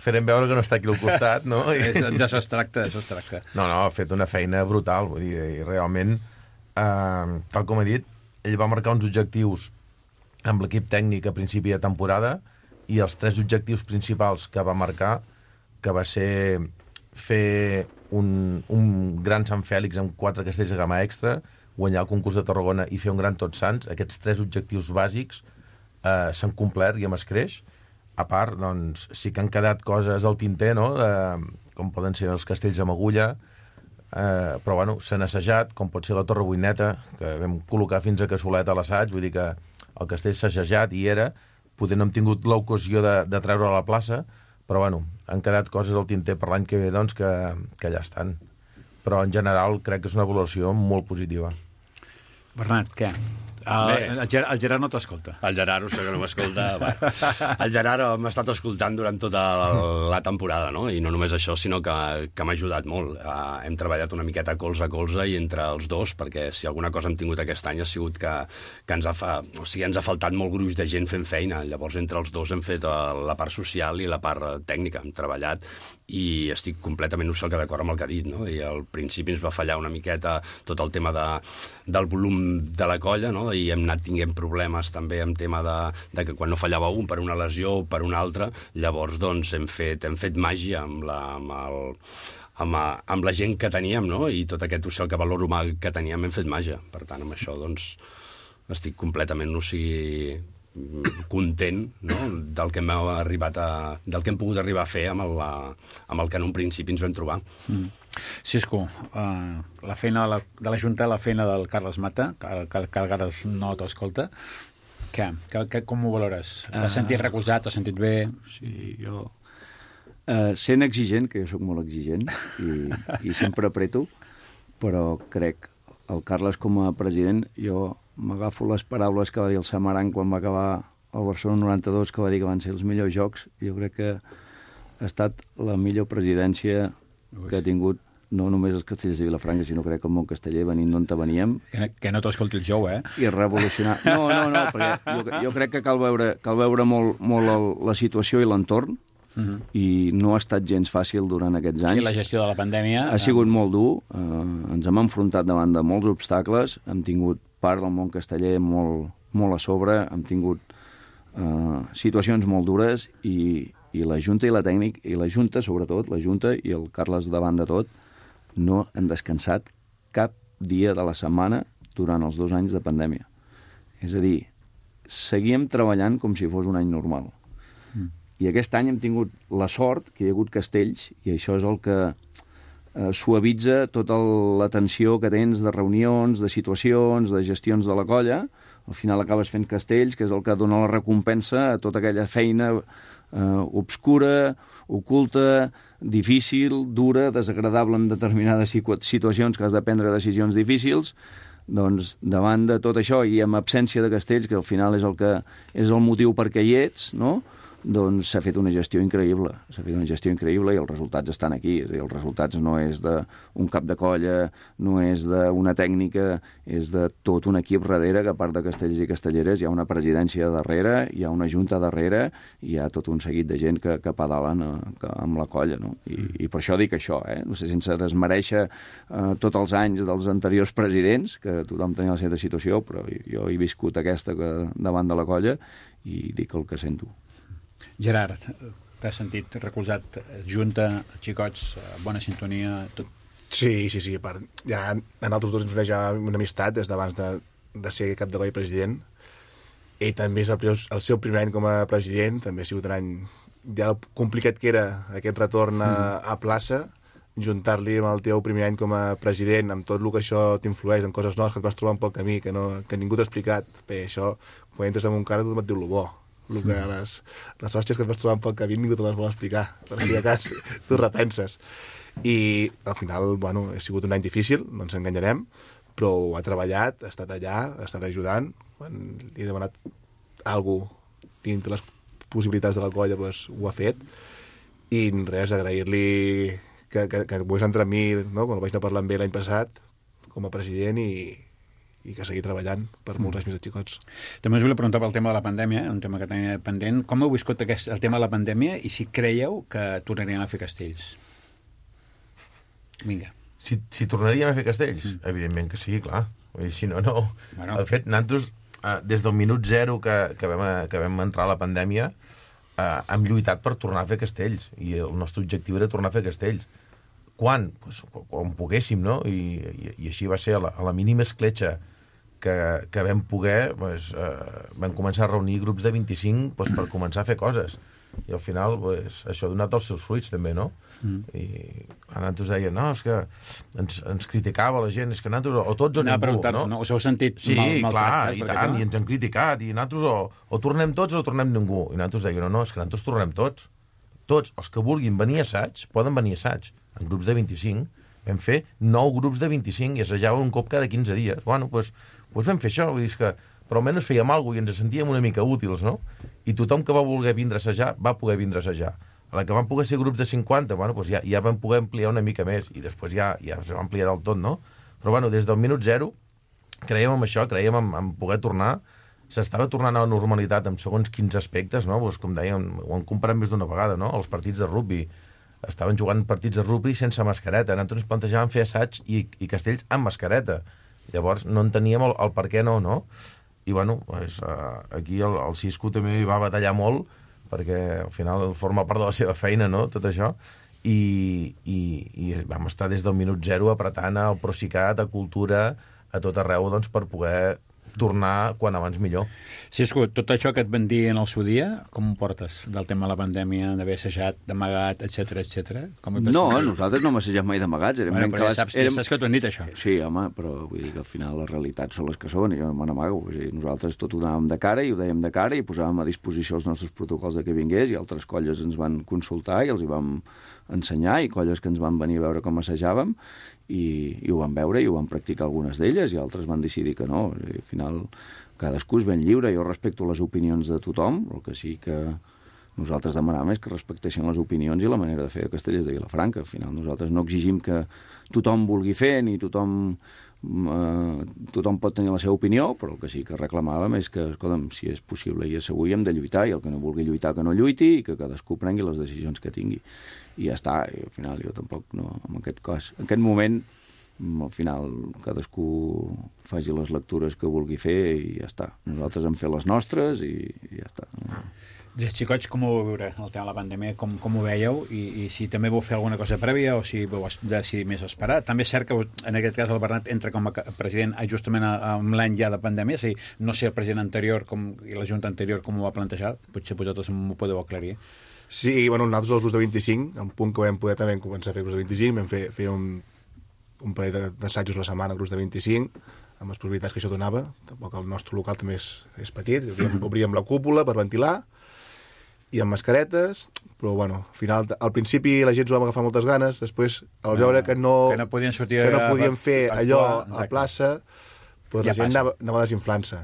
farem veure que no està aquí al costat, no? I... D'això es tracta, d'això es tracta. No, no, ha fet una feina brutal, vull dir, i realment, eh, tal com he dit, ell va marcar uns objectius amb l'equip tècnic a principi de temporada i els tres objectius principals que va marcar, que va ser fer un, un gran Sant Fèlix amb quatre castells de gamma extra, guanyar el concurs de Tarragona i fer un gran Tots Sants, aquests tres objectius bàsics eh, s'han complert i amb escreix. A part, doncs, sí que han quedat coses al tinter, no?, de, com poden ser els castells amb agulla, eh, però, bueno, s'han assajat, com pot ser la Torre Boineta, que vam col·locar fins a Cassolet a l'assaig, vull dir que el castell s'ha assajat i era, potser no hem tingut l'ocasió de, de treure a la plaça, però, bueno, han quedat coses al tinter per l'any que ve, doncs, que, que ja estan. Però, en general, crec que és una valoració molt positiva. Bernat, què? El, el, Gerard, el Gerard no t'escolta. El Gerard, ho sé que no m'escolta. El Gerard m'ha estat escoltant durant tota la, la temporada, no? I no només això, sinó que, que m'ha ajudat molt. Uh, hem treballat una miqueta colze a colze i entre els dos, perquè si alguna cosa hem tingut aquest any ha sigut que, que ens, ha fa, o sigui, ens ha faltat molt gruix de gent fent feina. Llavors, entre els dos hem fet la part social i la part tècnica. Hem treballat i estic completament d'acord amb el que ha dit, no? I al principi ens va fallar una miqueta tot el tema de, del volum de la colla, no? I hem anat tinguent problemes també amb tema de, de que quan no fallava un per una lesió o per una altra, llavors doncs hem fet, hem fet màgia amb la, amb el, amb, amb la gent que teníem, no? I tot aquest social que valor humà que teníem hem fet màgia. Per tant, amb això doncs estic completament, o sigui, content, no?, del que hem arribat a, del que hem pogut arribar a fer amb el, amb el que en un principi ens vam trobar. Mm. Cisco, uh, la feina de la, de la Junta, la feina del Carles Mata, que, que, que el Carles no t'escolta, què? Que, que, com ho valores? T'has uh, sentit recolzat, t'has sentit bé? Sí, jo... Uh, sent exigent, que jo sóc molt exigent, i, i sempre apreto, però crec el Carles com a president, jo m'agafo les paraules que va dir el Samaran quan va acabar el Barcelona noranta-dos, que va dir que van ser els millors jocs. Jo crec que ha estat la millor presidència que ha tingut no només els castellers de Vilafranca, sinó crec que el món casteller venint d'on veníem. Que, que no t'escolti el jou, eh? I revolucionar... No, no, no, perquè jo, jo crec que cal veure, cal veure molt, molt el, la situació i l'entorn, uh-huh. i no ha estat gens fàcil durant aquests anys. Sí, la gestió de la pandèmia... Ha sigut molt dur, eh, ens hem enfrontat davant de molts obstacles, hem tingut part del món casteller molt, molt a sobre, hem tingut eh, situacions molt dures i, i la Junta i la tècnic, i la Junta sobretot, la Junta i el Carles davant de tot, no han descansat cap dia de la setmana durant els dos anys de pandèmia. És a dir, seguíem treballant com si fos un any normal. Mm. I aquest any hem tingut la sort que hi ha hagut castells, i això és el que eh, suavitza tota la tensió que tens de reunions, de situacions, de gestions de la colla. Al final acabes fent castells, que és el que dona la recompensa a tota aquella feina eh, obscura, oculta, difícil, dura, desagradable en determinades situacions que has de prendre decisions difícils. Doncs davant de tot això i amb absència de castells, que al final és el que és el motiu perquè hi ets, no? Doncs s'ha fet una gestió increïble, s'ha fet una gestió increïble i els resultats estan aquí. És a dir, els resultats no és d'un cap de colla, no és d'una tècnica, és de tot un equip darrere, que a part de castells i castelleres hi ha una presidència darrere, hi ha una junta darrere, i hi ha tot un seguit de gent que, que pedalen eh, amb la colla, no? I, i per això dic això, eh? No sé, sense desmereixer eh, tots els anys dels anteriors presidents, que tothom tenia la seva situació, però jo he viscut aquesta que, davant de la colla, i dic el que sento. Gerard, t'has sentit recolzat, junta, xicots, bona sintonia, tot? Sí, sí, sí. Per, ja a nosaltres dos ens uneix una amistat des d'abans de, de ser cap de colla president. Ell també és el, el seu primer any com a president, també ha sigut un any ja complicat que era aquest retorn a, a plaça, juntar-li amb el teu primer any com a president, amb tot el que això t'influeix, en coses noves que et vas trobant pel camí, que, no, que ningú t'ha explicat. Bé, això, quan entres en un cara, tothom et diu el bo. El que les, les hòsties que et vas trobant pel camí ningú te les vol explicar, per si de cas tu repenses. I al final, bueno, ha sigut un any difícil, no ens enganyarem, però ha treballat, ha estat allà, ha estat ajudant. Quan li he demanat alguna cosa dintre les possibilitats de la colla, doncs ho ha fet. I res, agrair-li que, que, que pogués entrar amb mi, no? Quan el vaig anar parlant bé l'any passat, com a president, i i que seguir treballant per molts anys més de xicots. També us volia preguntar pel tema de la pandèmia, un tema que tenia pendent. Com heu viscut aquest, el tema de la pandèmia i si creieu que tornaríem a fer castells? Vinga. Si, si tornaríem a fer castells? Mm. Evidentment que sí, clar. I si no, no. Bueno. El fet, nosaltres, eh, des del minut zero que, que, vam, que vam entrar a la pandèmia, eh, hem lluitat per tornar a fer castells. I el nostre objectiu era tornar a fer castells. Quan? Pues, quan poguéssim, no? I, i, i així va ser a la, a la mínima escletxa que, que vam poder, pues, eh, vam començar a reunir grups de vint-i-cinc pues, per començar a fer coses. I al final pues, això ha donat els seus fruits també, no? Mm. I nosaltres deien, no, és que ens, ens criticava la gent, és que nosaltres o tots o no, ningú, no? No? Us heu sentit sí, mal, mal clar, tractats? I tant, i ens han criticat, i nosaltres o, o tornem tots o tornem ningú. I nosaltres deien, no, no, és que nosaltres tornem tots. Tots, els que vulguin venir a assaig, poden venir a assaig. En grups de vint-i-cinc, vam fer nou grups de vint-i-cinc i assajàvem un cop cada quinze dies. Bueno, doncs pues, pues vam fer això, vull dir que però almenys fèiem alguna cosa i ens sentíem una mica útils, no? I tothom que va voler vindre a assajar, va poder vindre a assajar. A la que van poder ser grups de cinquanta, bueno, doncs ja, ja vam poder ampliar una mica més i després ja, ja es va ampliar del tot, no? Però bueno, des del minut zero creiem en això, creiem en, en poder tornar. S'estava tornant a la normalitat en segons quins aspectes, no? Pues, com dèiem, ho han comparat més d'una vegada, no? Els partits de rugby. Estaven jugant partits de rugby sense mascareta. Nosaltres ens plantejàvem fer assaig i, i castells amb mascareta. Llavors no enteníem el, el per què no, no? I bueno, pues, uh, aquí el, el Cisco també va batallar molt perquè al final forma part de la seva feina, no?, tot això. I, i, i vam estar des del minut zero apretant al Procicat, a Cultura, a tot arreu, doncs, per poder tornar quan abans millor. Cisco, tot això que et van dir en el seu dia, com ho portes del tema de la pandèmia, d'haver assajat, d'amagat, etcètera, etcètera? No, nosaltres no hem assajat mai d'amagats. Bueno, però ja saps, érem... ja saps que t'ho han dit, això. Sí, home, però vull dir que al final les realitats són les que són, i jo no me n'amago. Nosaltres tot ho donàvem de cara, i ho dèiem de cara, i posàvem a disposició els nostres protocols de que vingués, i altres colles ens van consultar i els hi vam ensenyar, i colles que ens van venir a veure com assajàvem, i, i ho van veure i ho van practicar algunes d'elles, i altres van decidir que no. I al final cadascú és ben lliure, jo respecto les opinions de tothom, el que sí que Nosaltres demanàvem és que respectessin les opinions i la manera de fer de Castellers de Vilafranca. Al final nosaltres no exigim que tothom vulgui fer, ni tothom, eh, tothom pot tenir la seva opinió, però el que sí que reclamàvem és que, escolta'm, si és possible i és segur, hi hem de lluitar, i el que no vulgui lluitar que no lluiti, i que cadascú prengui les decisions que tingui. I ja està, i al final jo tampoc no, en aquest cas, en aquest moment, al final cadascú faci les lectures que vulgui fer i ja està. Nosaltres hem fet les nostres i, i ja està. Els xicots, com ho vau veure, el tema de la pandèmia? Com, com ho veieu? I, I si també vau fer alguna cosa prèvia o si vau decidir més esperar? També és cert que, en aquest cas, el Bernat entra com a president justament amb l'any ja de pandèmia, és a dir, no sé el president anterior com, i la junta anterior com ho va plantejar, potser vosaltres m'ho podeu aclarir. Sí, bueno, nosaltres els grups de vint-i-cinc, en punt que vam poder també començar a fer grups de vint-i-cinc, vam fer, fer un, un parell d'assajos a la setmana, grups de vint-i-cinc, amb les possibilitats que això donava. Tampoc el nostre local també és, és petit, obríem, obríem la cúpula per ventilar, i amb mascaretes, però bueno, al final, al principi la gent s'ho va agafar moltes ganes, després, al veure que no, que no podien, sortir que no podien fer a, allò a, a plaça, doncs ja la gent anava, anava desinflant-se.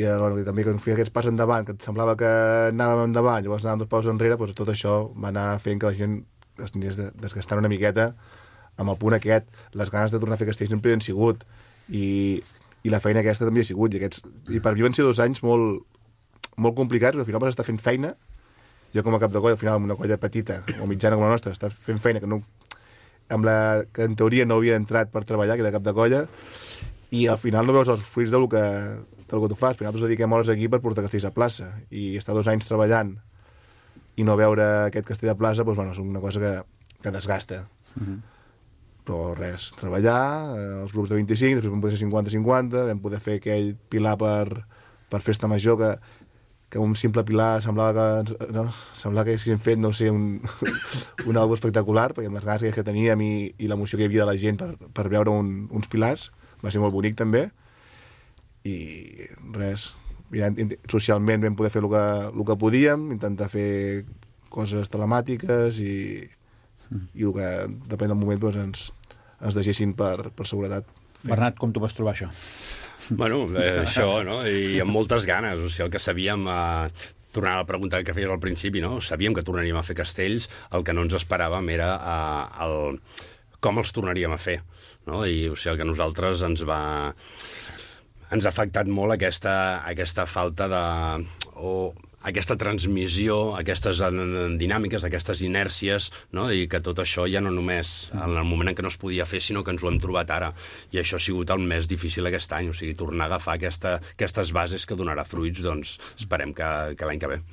I, bueno, i també quan feia aquests pas endavant, que et semblava que anàvem endavant, llavors anàvem dos paus enrere, doncs tot això va anar fent que la gent es anés desgastant una miqueta amb el punt aquest. Les ganes de tornar a fer castells sempre hi han sigut, i, i la feina aquesta també hi ha sigut, i, aquests, i per mi van ser dos anys molt molt complicats, perquè al final vas estar fent feina, jo com a cap de colla, al final amb una colla petita o mitjana com la nostra, estàs fent feina que, no, amb la, que en teoria no havia entrat per treballar, que era cap de colla, i al final no veus els fruits del que, del que tu fas. Però nosaltres dediquem hores aquí per portar castells a plaça, i estar dos anys treballant i no veure aquest castell a plaça, doncs, bueno, és una cosa que, que desgasta. Mm-hmm. Però res, treballar, eh, els grups de vint-i-cinc, després vam poder ser cinquanta cinquanta, vam poder fer aquell pilar per, per festa major, que que un simple pilar semblava que, no, semblava que haguéssim fet, no sé, un, un algo espectacular, perquè amb les ganes que teníem i, i l'emoció que hi havia de la gent per, per veure un, uns pilars, va ser molt bonic també, i res, ja, socialment vam poder fer el que, el que podíem, intentar fer coses telemàtiques i, i el que depèn del moment doncs, ens, ens deixessin per, per seguretat. Bernat, com tu vas trobar això? Bueno, eh, això, no? I amb moltes ganes. O sigui, el que sabíem... Eh, tornant a la pregunta que feies al principi, no? Sabíem que tornaríem a fer castells, el que no ens esperàvem era eh, el, com els tornaríem a fer, no? I o sigui, el que a nosaltres ens va... ens ha afectat molt aquesta, aquesta falta de... o aquesta transmissió, aquestes dinàmiques, aquestes inèrcies, no? I que tot això ja no només en el moment en què no es podia fer, sinó que ens ho hem trobat ara. I això ha sigut el més difícil aquest any, o sigui, tornar a agafar aquesta, aquestes bases que donarà fruits, doncs esperem que, que l'any que ve.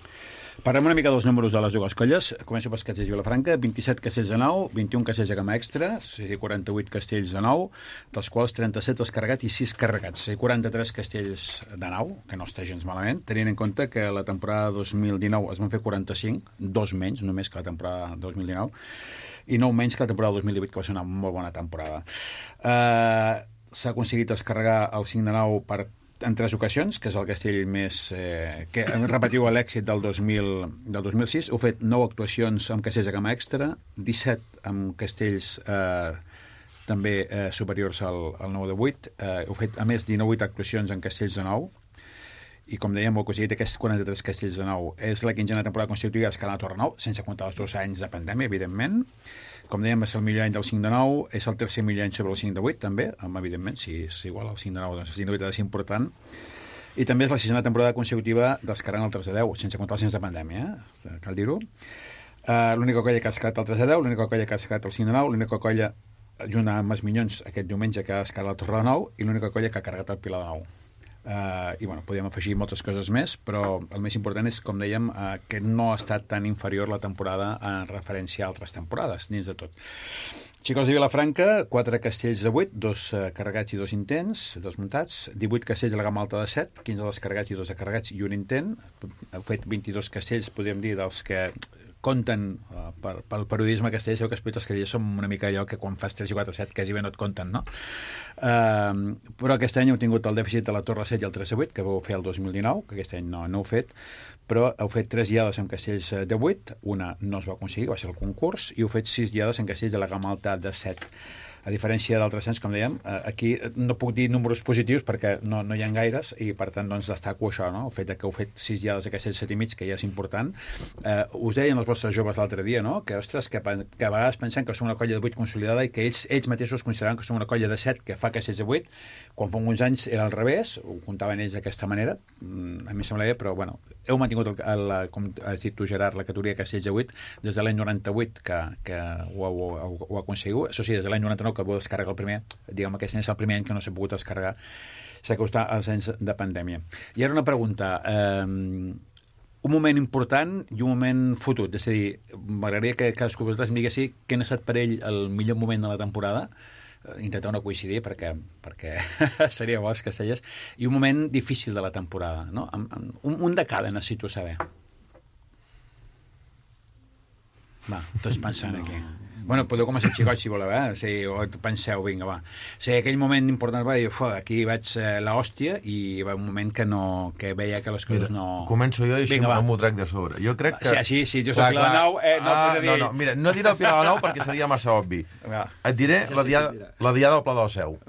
Parlem una mica dels números de les dues colles. Començo pels castells de Vilafranca, vint-i-set castells de nou, vint-i-un castells de gamma extra, és a dir, quaranta-vuit castells de nou, dels quals trenta-set descarregats i sis carregats, és a dir, quaranta-tres castells de nou, que no està gens malament, tenint en compte que la temporada dos mil dinou es van fer quaranta-cinc, dos menys només que la temporada dos mil dinou, i nou menys que la temporada dos mil divuit, que va ser una molt bona temporada. Uh, s'ha aconseguit descarregar el cinc de nou per en tres ocasions, que és el castell més... Eh, que repetiu l'èxit del, dos mil, del dos mil sis. Heu fet nou actuacions amb castells de gamma extra, disset amb castells eh, també eh, superiors al, al nou de vuit. Eh, heu fet, a més, dinou actuacions en castells de nou. I, com dèiem, heu aconseguit aquests quaranta-tres castells de nou. És la quinzena temporada constitutiva d'Escala Torre Nou, sense comptar els dos anys de pandèmia, evidentment. Com dèiem, és el millor any del cinc de nou, és el tercer millor any sobre el cinc de vuit, també, amb, evidentment, si és igual al cinc de nou, doncs el cinc de vuit ha de ser important. I també és la sisena temporada consecutiva d'escalant el tres de deu, sense comptar els anys de pandèmia, eh? Cal dir-ho. Uh, l'única colla que ha escalat el tres de deu, l'única colla que ha escalat el cinc de nou, l'única colla, junt amb els Minyons, aquest diumenge que ha escalat el Torre de Nou, i l'única colla que ha carregat el Pilar de Nou. Uh, i bueno, podríem afegir moltes coses més, però el més important és, com dèiem, uh, que no ha estat tan inferior la temporada en referència a altres temporades, dins de tot. Xicots de Vilafranca, quatre castells de vuit, dos uh, carregats i dos intents, dos muntats, divuit castells de la gamma alta de set, quinze descarregats i dos descarregats i un intent. Heu fet vint-i-dos castells, podríem dir, dels que compten uh, per, pel periodisme castells, que explica els castells som una mica allò que quan fas tres i quatre set quasi bé no et compten, no? Uh, però aquest any heu tingut el dèficit de la Torre set i el tres de vuit, que vau fer el dos mil dinou, que aquest any no, no heu fet, però heu fet tres guiades amb castells de vuit, una no es va aconseguir, va ser el concurs, i heu fet sis guiades amb castells de la gamma alta de set. A diferència d'altres anys, com dèiem, eh, aquí no puc dir números positius perquè no, no hi ha gaires i, per tant, doncs, destaco això, no? El fet que heu fet sis diades aquests set i mig, que ja és important. Eh, us deien els vostres joves l'altre dia, no? Que, ostres, que, que a vegades pensen que som una colla de vuit consolidada i que ells, ells mateixos consideraven que som una colla de set que fa que setze vuit, quan fa uns anys era al revés, ho comptaven ells d'aquesta manera, a mi em sembla bé, però, bueno, heu mantingut, el, el, com has dit tu, Gerard, la categoria que setze vuit des de l'any noranta-vuit que, que ho, ho, ho, ho aconseguiu. Això sí, des de l'any noranta-nou que vau descarregar el primer, diguem que és el primer any que no s'ha pogut descarregar, s'ha costat els anys de pandèmia. I ara una pregunta, eh, un moment important i un moment fotut, és a dir, m'agradaria que cadascú de vosaltres em diguessi quin ha estat per ell el millor moment de la temporada, intentar no coincidir perquè, perquè seria bo els castellers, i un moment difícil de la temporada, no? Un, un de cada necessito saber. Va, tots pensant aquí. Bueno, podeu començar, xicots, si voleu, eh? O sigui, o penseu, vinga, va. O sigui, aquell moment important va dir, aquí vaig eh, l'hòstia, i va un moment que no, que veia que les coses no... Començo jo i així m'ho trec de sobre. Jo crec que... Sí, així, si jo soc Pilar Nou, eh, no ah, podria dir... No, no, mira, no diré el Pilar Nou perquè seria massa obvi. Va. Et diré la diada, la diada del Pla del Seu.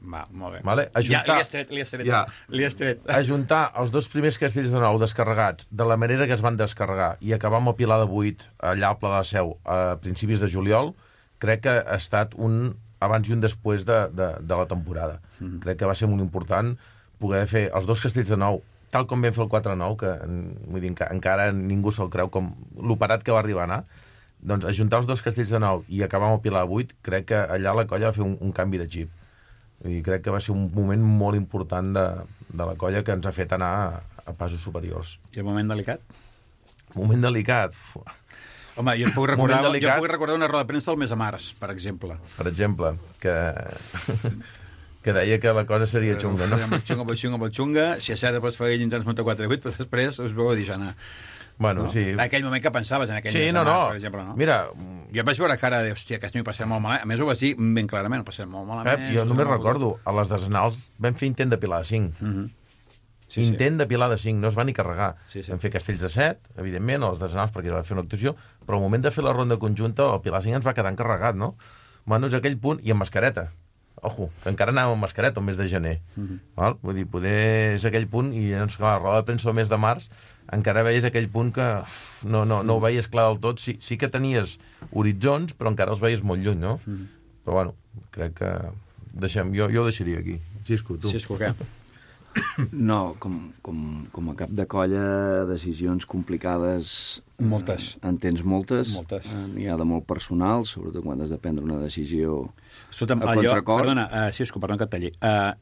Va, molt bé. Vale? Ajuntar, ja, li has tret, li has tret. Ja. Li has tret. Ajuntar els dos primers castells de nou descarregats de la manera que es van descarregar i acabar amb el Pilar de vuit allà al Pla del Seu a principis de juliol, crec que ha estat un abans i un després de, de, de la temporada. Mm-hmm. Crec que va ser molt important poder fer els dos castells de nou, tal com vam fer el quatre nou, que vull dir, encara ningú se'l creu com l'operat que va arribar a anar, doncs ajuntar els dos castells de nou i acabar amb el Pilar de vuit, crec que allà la colla va fer un, un canvi de xip. I crec que va ser un moment molt important de, de la colla que ens ha fet anar a, a passos superiors. I el moment delicat? Moment delicat... Fuà. Home, jo et puc recordar, jo puc recordar una roda de premsa del mes de març, per exemple. Per exemple, que, que deia que la cosa seria xunga, no? Molt xunga, molt xunga, molt xunga. Si a cert, després feia intents muntar quatre vuit, però després us veu a dir, Jana. Bueno, no? Sí. Aquell moment que pensaves, en aquell sí, mes no, de març, no. per exemple, no? Mira... Jo vaig veure cara de, hòstia, que m'hi passaré molt malament. A més, ho vas dir ben clarament, ho passaré molt malament. Pep, jo només recordo, a les desenals vam fer intent de pilar de cinc. Mm-hmm. Sí, intent sí. de pilar de cinc, no es va ni carregar. Sí, sí. Vam fer castells de set, evidentment, a les desenals perquè es va fer una actuació, però al moment de fer la ronda conjunta el pilar de cinc ens va quedar encarregat, no? Bueno, és aquell punt, i amb mascareta. Ojo, que encara anàvem amb mascareta el mes de gener. Mm-hmm. Val? Vull dir, poder és aquell punt, i doncs, clar, la roda de premsa el mes de març, encara veies aquell punt que uf, no, no, no ho veies clar del tot. Sí, sí que tenies horitzons, però encara els veies molt lluny, no? Mm-hmm. Però bueno, crec que deixem, jo, jo ho deixaria aquí. Cisco, tu. Cisco, què? No, com, com, com a cap de colla, decisions complicades... Moltes. Eh, en tens moltes. Moltes. Eh, n'hi ha de molt personal, sobretot quan has de prendre una decisió Escolta'm, a allò, contracor. Perdona, uh, Cisco, perdona que et talli. Uh,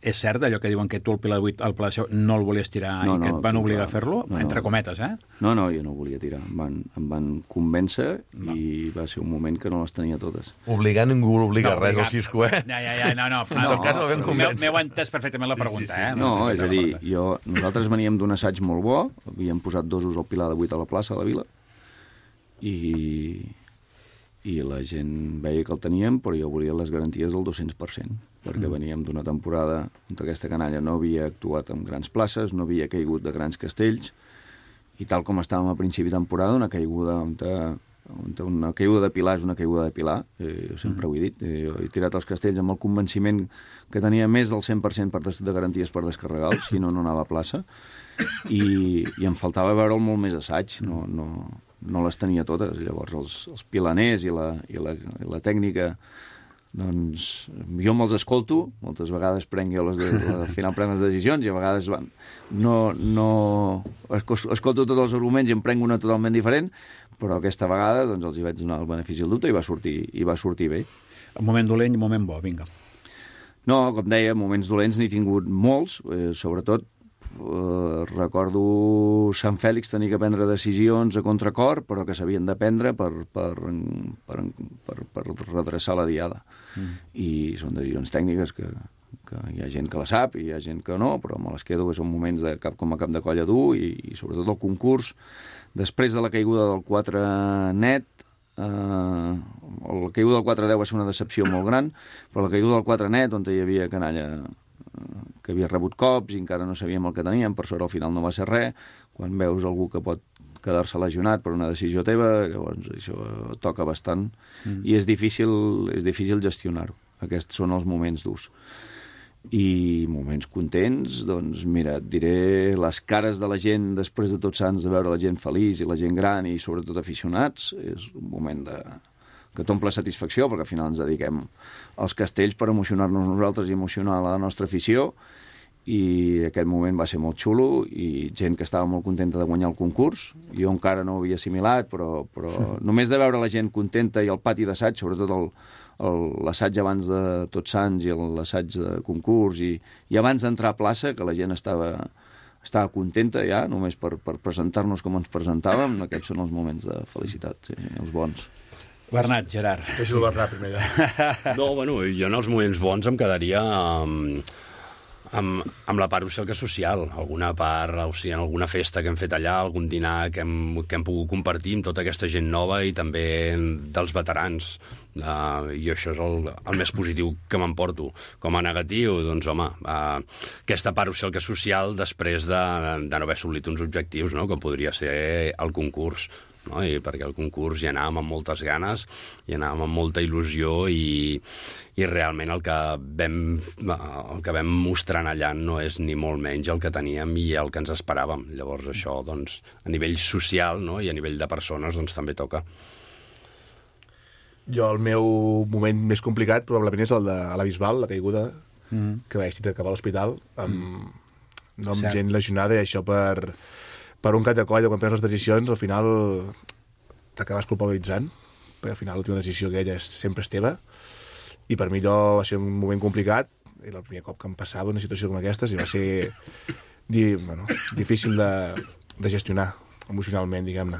és cert allò que diuen que tu el Pilar vuit al Pla de Seu no el volies tirar no, i que no, et van obligar a fer-lo? No, entre cometes, eh? No, no, jo no volia tirar. Em van, em van convèncer no. i va ser un moment que no les tenia totes. Obligar ningú l'obliga no, res al Cisco, eh? Ja, ja, ja, no, no. En tot cas el vam convèncer. M'heu entès perfectament la pregunta, sí, sí, sí, eh? No, no és a dir, jo, nosaltres veníem d'un assaig molt bo, havíem posat dosos al Pilar de vuit a la plaça de la Vila, i... i la gent veia que el teníem, però jo volia les garanties del dos-cents per cent, perquè mm. veníem d'una temporada on aquesta canalla no havia actuat en grans places, no havia caigut de grans castells, i tal com estàvem a principi de temporada, una caiguda on, te, on te una caiguda de pilar és una caiguda de pilar, eh, jo sempre mm. ho he dit, eh, jo he tirat els castells amb el convenciment que tenia més del cent per cent per des, de garanties per descarregar-los, si no, no anava a plaça, i, i em faltava veure'l molt més assaig, no... no no les tenia totes. Llavors els, els pilaners i la, i, la, i la tècnica, doncs jo me'ls escolto, moltes vegades prenc jo les de, al final prenc les decisions i a vegades van, no, no escolto tots els arguments i em prenc una totalment diferent, però aquesta vegada doncs els hi vaig donar el benefici del dubte i va sortir, i va sortir bé. Un moment dolent i un moment bo, vinga. No, com deia, moments dolents n'he tingut molts, eh, sobretot Uh, recordo Sant Fèlix tenir que prendre decisions a contracor, però que s'havien de prendre per, per, per, per, per redreçar la diada. Mm. I són decisions tècniques que, que hi ha gent que la sap i hi ha gent que no, però me les quedo, que són moments de cap com a cap de colla dur, i, i sobretot el concurs. Després de la caiguda del quatre net, eh, la caiguda del quatre deu va ser una decepció molt gran, però la caiguda del quatre net, on hi havia canalla que havia rebut cops i encara no sabíem el que teníem, per sort al final no va ser res. Quan veus algú que pot, quedar-se lesionat per una decisió teva, llavors això toca bastant, mm. i és difícil, és difícil gestionar-ho. Aquests són els moments durs. I moments contents, doncs mira, et diré les cares de la gent després de Tots Sants, de veure la gent feliç i la gent gran i sobretot aficionats, és un moment de... que t'omple satisfacció, perquè al final ens dediquem als castells per emocionar-nos nosaltres i emocionar la nostra afició, i aquest moment va ser molt xulo i gent que estava molt contenta de guanyar el concurs. Jo encara no ho havia assimilat, però, però sí. Només de veure la gent contenta i el pati d'assaig, sobretot el, el, l'assaig abans de Tots Sants i l'assaig de concurs, i, i abans d'entrar a plaça, que la gent estava, estava contenta ja, només per, per presentar-nos com ens presentàvem, aquests són els moments de felicitat, sí, els bons. Bernat, Gerard. Deixo el Bernat primer. No, bueno, jo en els moments bons em quedaria amb, amb, amb la part social que social. Alguna part, o sigui, en alguna festa que hem fet allà, algun dinar que hem, que hem pogut compartir amb tota aquesta gent nova i també dels veterans. Uh, I això és el, el més positiu que m'emporto. Com a negatiu, doncs, home, uh, aquesta part social que social després de, de no haver assolit uns objectius, no?, com podria ser el concurs. No? I perquè el concurs hi anàvem amb moltes ganes, hi anàvem amb molta il·lusió i, i realment el que, vam, el que vam mostrant allà no és ni molt menys el que teníem i el que ens esperàvem. Llavors això, doncs, a nivell social, no?, i a nivell de persones, doncs també toca. Jo, el meu moment més complicat probablement és el de la Bisbal, la caiguda, mm. que vaig tindre cap a l'hospital, amb, mm. no, amb gent lesionada, i això per... per un cap de colla, quan prens les decisions, al final t'acabes culpabilitzant, perquè al final l'última decisió aquella és, sempre és teva, i per mi allò va ser un moment complicat, era el primer cop que em passava una situació com aquestes, i va ser di, bueno, difícil de, de gestionar emocionalment, diguem-ne.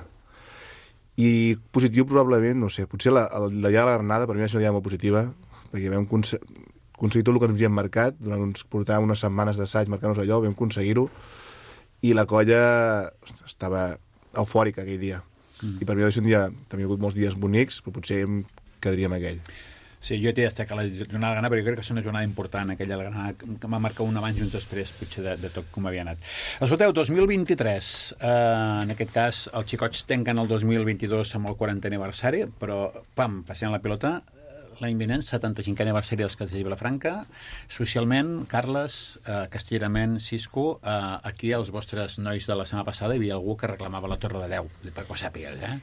I positiu probablement, no sé, potser la, la, la dia de la granada per mi va ser una dia molt positiva, perquè vam aconseguir tot el que ens havíem marcat, durant uns, portàvem unes setmanes d'assaig marcant-nos allò, vam aconseguir-ho, i la colla estava eufòrica aquell dia. Mm. I per mi va ser un dia, també hi ha hagut molts dies bonics, però potser em quedaria amb aquell. Sí, jo t'he destacat la jornada de Granada, però jo crec que és una jornada important, aquella de la Granada, que m'ha marcat un abans i un després, potser de, de tot com havia anat. Escolteu, dos mil vint-i-tres, eh, en aquest cas, els xicots tanquen el dos mil vint-i-dos amb el quarantè aniversari, però, pam, passant la pilota, l'any vinent, setanta-cinquè aniversari dels Castells de Vilafranca. Socialment, Carles, eh, castellerament, Cisco, eh, aquí els vostres nois de la setmana passada hi havia algú que reclamava la Torre de Deu, perquè ho sàpigues, eh?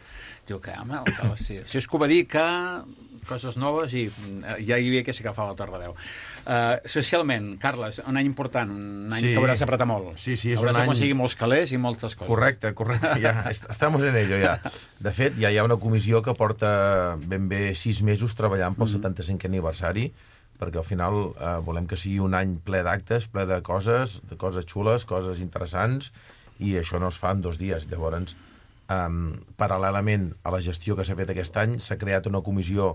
Diu que, home, el Carles, sí. Cisco va dir que coses noves i ja hi havia que s'agafava la Torre de Deu. Uh, socialment, Carles, un any important, un any sí. que hauràs d'apretar molt. Sí, sí, és hauràs un any... d'aconseguir molts calés i moltes coses. Correcte, correcte, ja, estamos en ello, ja. De fet, ja hi ha una comissió que porta ben bé sis mesos treballant pel mm-hmm. setanta-cinquè aniversari, perquè al final eh, volem que sigui un any ple d'actes, ple de coses, de coses xules, coses interessants, i això no es fa en dos dies. Llavors, eh, paral·lelament a la gestió que s'ha fet aquest any, s'ha creat una comissió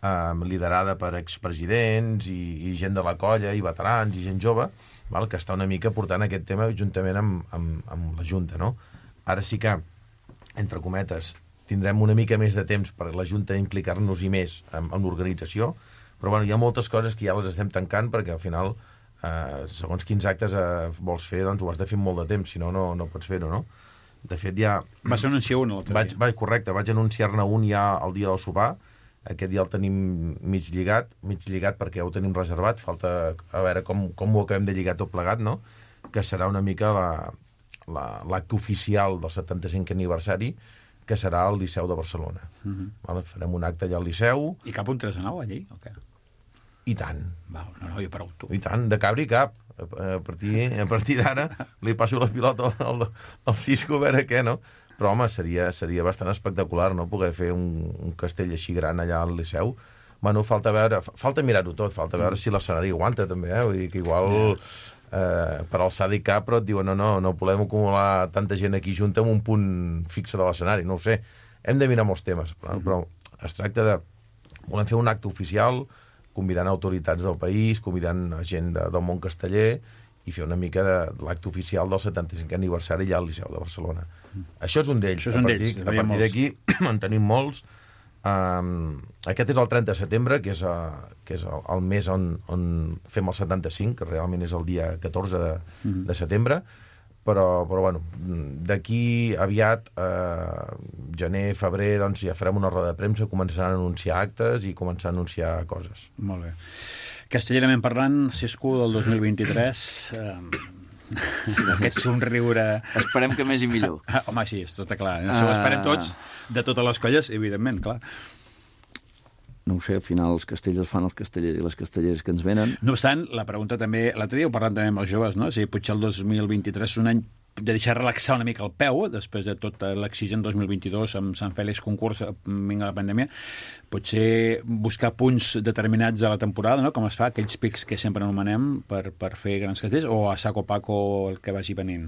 Um, liderada per expresidents i, i gent de la colla, i veterans, i gent jove, val, que està una mica portant aquest tema juntament amb, amb, amb la Junta, no? Ara sí que, entre cometes, tindrem una mica més de temps per la Junta implicar-nos-hi més en, en l'organització, però bueno, hi ha moltes coses que ja les estem tancant perquè al final, eh, segons quins actes eh, vols fer, doncs ho has de fer molt de temps, si no, no, no pots fer-ho, no? De fet, ja... Vas anunciar un l'altre vaig, vaig, correcte, vaig anunciar-ne un ja el dia del sopar. Aquest dia el tenim mig lligat, mig lligat perquè ho tenim reservat, falta a veure com, com ho acabem de lligar tot plegat, no? Que serà una mica l'acte la, la, oficial del setanta-cinquè aniversari, que serà al Liceu de Barcelona. Uh-huh. Vale? Farem un acte allà al Liceu. I cap un tres a nou allí, o què? I tant. Va, no, no, jo pregunto. I tant, de cabri cap. A partir, a partir d'ara li passo la pilota al, al Cisco a veure què, no? Però, home, seria, seria bastant espectacular, no?, poder fer un, un castell així gran allà al Liceu. Bueno, falta veure, falta mirar-ho tot, falta veure si l'escenari aguanta, també, eh? Vull dir que igual eh, per alçada i cap, però et diuen, no, no, no podem acumular tanta gent aquí junta en un punt fixe de l'escenari, no ho sé. Hem de mirar molts temes, però, però es tracta de... Volem fer un acte oficial, convidant autoritats del país, convidant gent de, del món casteller, i fer una mica de, de l'acte oficial del setanta-cinquè aniversari ja al Liceu de Barcelona. Mm. Això és un d'ells. Això és un d'ells. A partir d'aquí en tenim molts. Um, aquest és el trenta de setembre, que és, uh, que és el, el mes on, on fem el setanta-cinc, que realment és el dia catorze de, mm. de setembre. però, però bueno, d'aquí aviat, eh, gener, febrer, doncs ja farem una roda de premsa, començaran a anunciar actes i començar a anunciar coses. Molt bé. Castellerament parlant, Cisco del dos mil vint-i-tres, eh, aquest somriure... Esperem que més i millor. Ah, home, sí, això està clar. Això ho esperem tots, de totes les colles, evidentment, clar. No ho sé, al final els castells els fan els castellers i les castelleres que ens venen. No obstant, la pregunta també... L'altre dia ho parlant també amb els joves, no? O sigui, potser el dos mil vint-i-tres és un any de deixar relaxar una mica el peu, després de tot l'exigent dos mil vint-i-dos amb Sant Fèlix concurs, vinga la pandèmia, potser buscar punts determinats a la temporada, no? Com es fa, aquells pics que sempre anomenem per, per fer grans castells, o a saco paco el que vagi venint?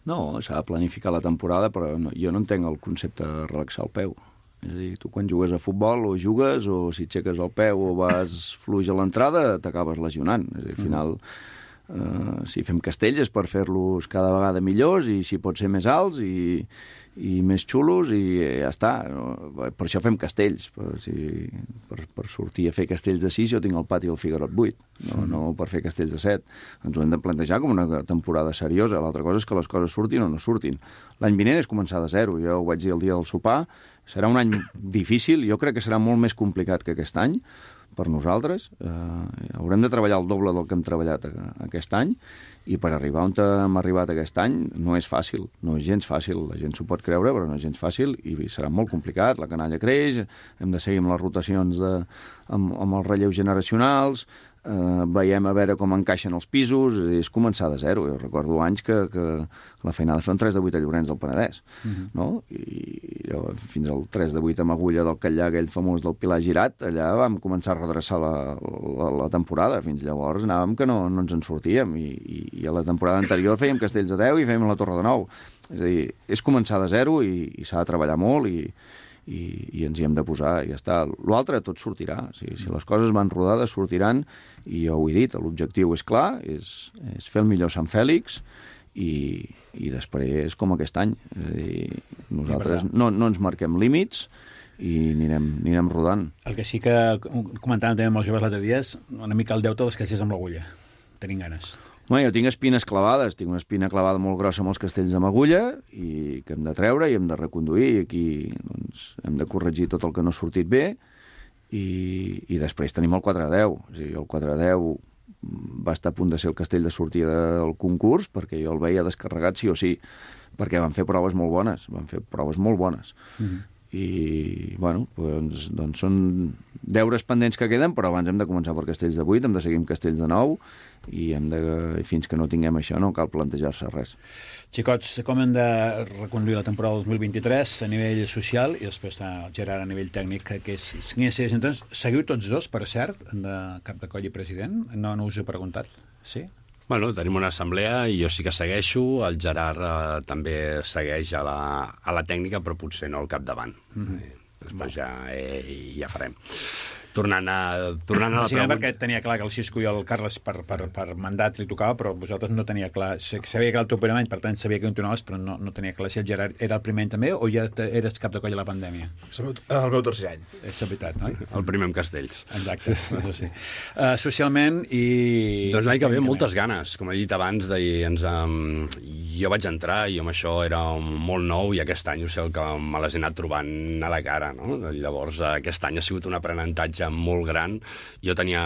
No, s'ha de planificar la temporada, però no, jo no entenc el concepte de relaxar el peu. És a dir, tu quan jugues a futbol o jugues, o si aixeques el peu o vas fluix a l'entrada, t'acabes lesionant. És a dir, al final... Uh, si fem castells és per fer-los cada vegada millors i si pot ser més alts i, i més xulos i ja està. Per això fem castells. Per, si, per, per sortir a fer castells de sis jo tinc el pati del Figuerot vuit, no, no per fer castells de set. Ens ho hem de plantejar com una temporada seriosa. L'altra cosa és que les coses surtin o no surtin. L'any vinent és començar de zero. Jo ho vaig dir el dia del sopar. Serà un any difícil. Jo crec que serà molt més complicat que aquest any per nosaltres. Eh, haurem de treballar el doble del que hem treballat aquest any i per arribar on hem arribat aquest any no és fàcil, no és gens fàcil. La gent s'ho pot creure, però no és gens fàcil i serà molt complicat. La canalla creix, hem de seguir amb les rotacions de, amb, amb els relleus generacionals, eh, veiem a veure com encaixen els pisos, és, és començar de zero. Jo recordo anys que, que la feinada de fer un tres de vuit a Llorenç del Penedès, uh-huh. no? I jo, fins al tres de vuit amb agulla del Catllà, aquell famós del Pilar Girat, allà vam començar a redreçar la, la, la temporada. Fins llavors anàvem que no, no ens en sortíem i, i, i a la temporada anterior fèiem castells de deu i fèiem la Torre de nou. És a dir, és començar de zero i, i s'ha de treballar molt i, i, i ens hi hem de posar i ja està. L'altre tot sortirà. O sigui, si les coses van rodades, sortiran i jo ho he dit, l'objectiu és clar, és, és fer el millor Sant Fèlix i, i després com aquest any. És a dir, nosaltres no, no ens marquem límits i anirem, anirem rodant. El que sí que comentàvem també amb els joves l'altre dia és una mica el deute dels castells amb l'agulla. Tenim ganes. Bueno, jo tinc espines clavades, tinc una espina clavada molt grossa amb els castells amb agulla i que hem de treure i hem de reconduir i aquí doncs, hem de corregir tot el que no ha sortit bé i, i després tenim el quatre a deu. O sigui, el quatre a deu va estar a punt de ser el castell de sortida del concurs perquè jo el veia descarregat sí o sí, perquè van fer proves molt bones, van fer proves molt bones. Mm-hmm. I, bueno, doncs, doncs són deures pendents que queden, però abans hem de començar per castells de vuit, hem de seguir amb castells de nou i hem de, fins que no tinguem això no cal plantejar-se res. Xicots, com hem de reconduir la temporada dos mil vint-i-tres a nivell social i després a Gerard a nivell tècnic, que és... Entonces, seguiu tots dos, per cert, de cap de coll i president? No, no us he preguntat. Sí? Bueno, tenim una assemblea i jo sí que segueixo, el Gerard eh, també segueix a la, a la tècnica, però potser no al capdavant. Mm-hmm. Després ja, eh, ja farem. Tornant a, tornant a la sí, pregunta... perquè tenia clar que el Cisco i el Carles per, per, per mandat li tocava, però vosaltres no tenia clar. Sabia que era el teu primer any, per tant sabia que continuaves, però no, no tenia clar si el Gerard era el primer any també o ja eres cap de coll a la pandèmia? És el meu, el meu tercer any. És la veritat, no? El primer amb castells. Exacte, això sí. Uh, socialment i... Doncs l'any que ve moltes ganes. Com he dit abans, de, ens, um, jo vaig entrar i amb això era molt nou i aquest any ho sé el que me les he anat trobant a la cara, no? Llavors aquest any ha sigut un aprenentatge molt gran. Jo tenia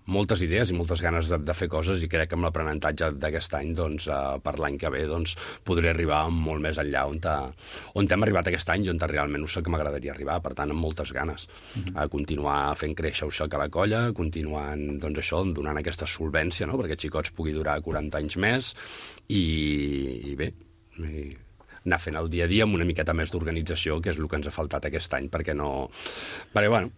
moltes idees i moltes ganes de, de fer coses i crec que amb l'aprenentatge d'aquest any doncs, uh, per l'any que ve doncs, podré arribar molt més enllà on, ta, on hem arribat aquest any i on realment ho sé que m'agradaria arribar, per tant amb moltes ganes uh-huh. a continuar fent créixer això que la colla, continuant doncs, això, donant aquesta solvència, no? perquè Xicots pugui durar quaranta anys més i, i bé i anar fent el dia a dia amb una miqueta més d'organització, que és el que ens ha faltat aquest any, perquè no... Perquè, bueno,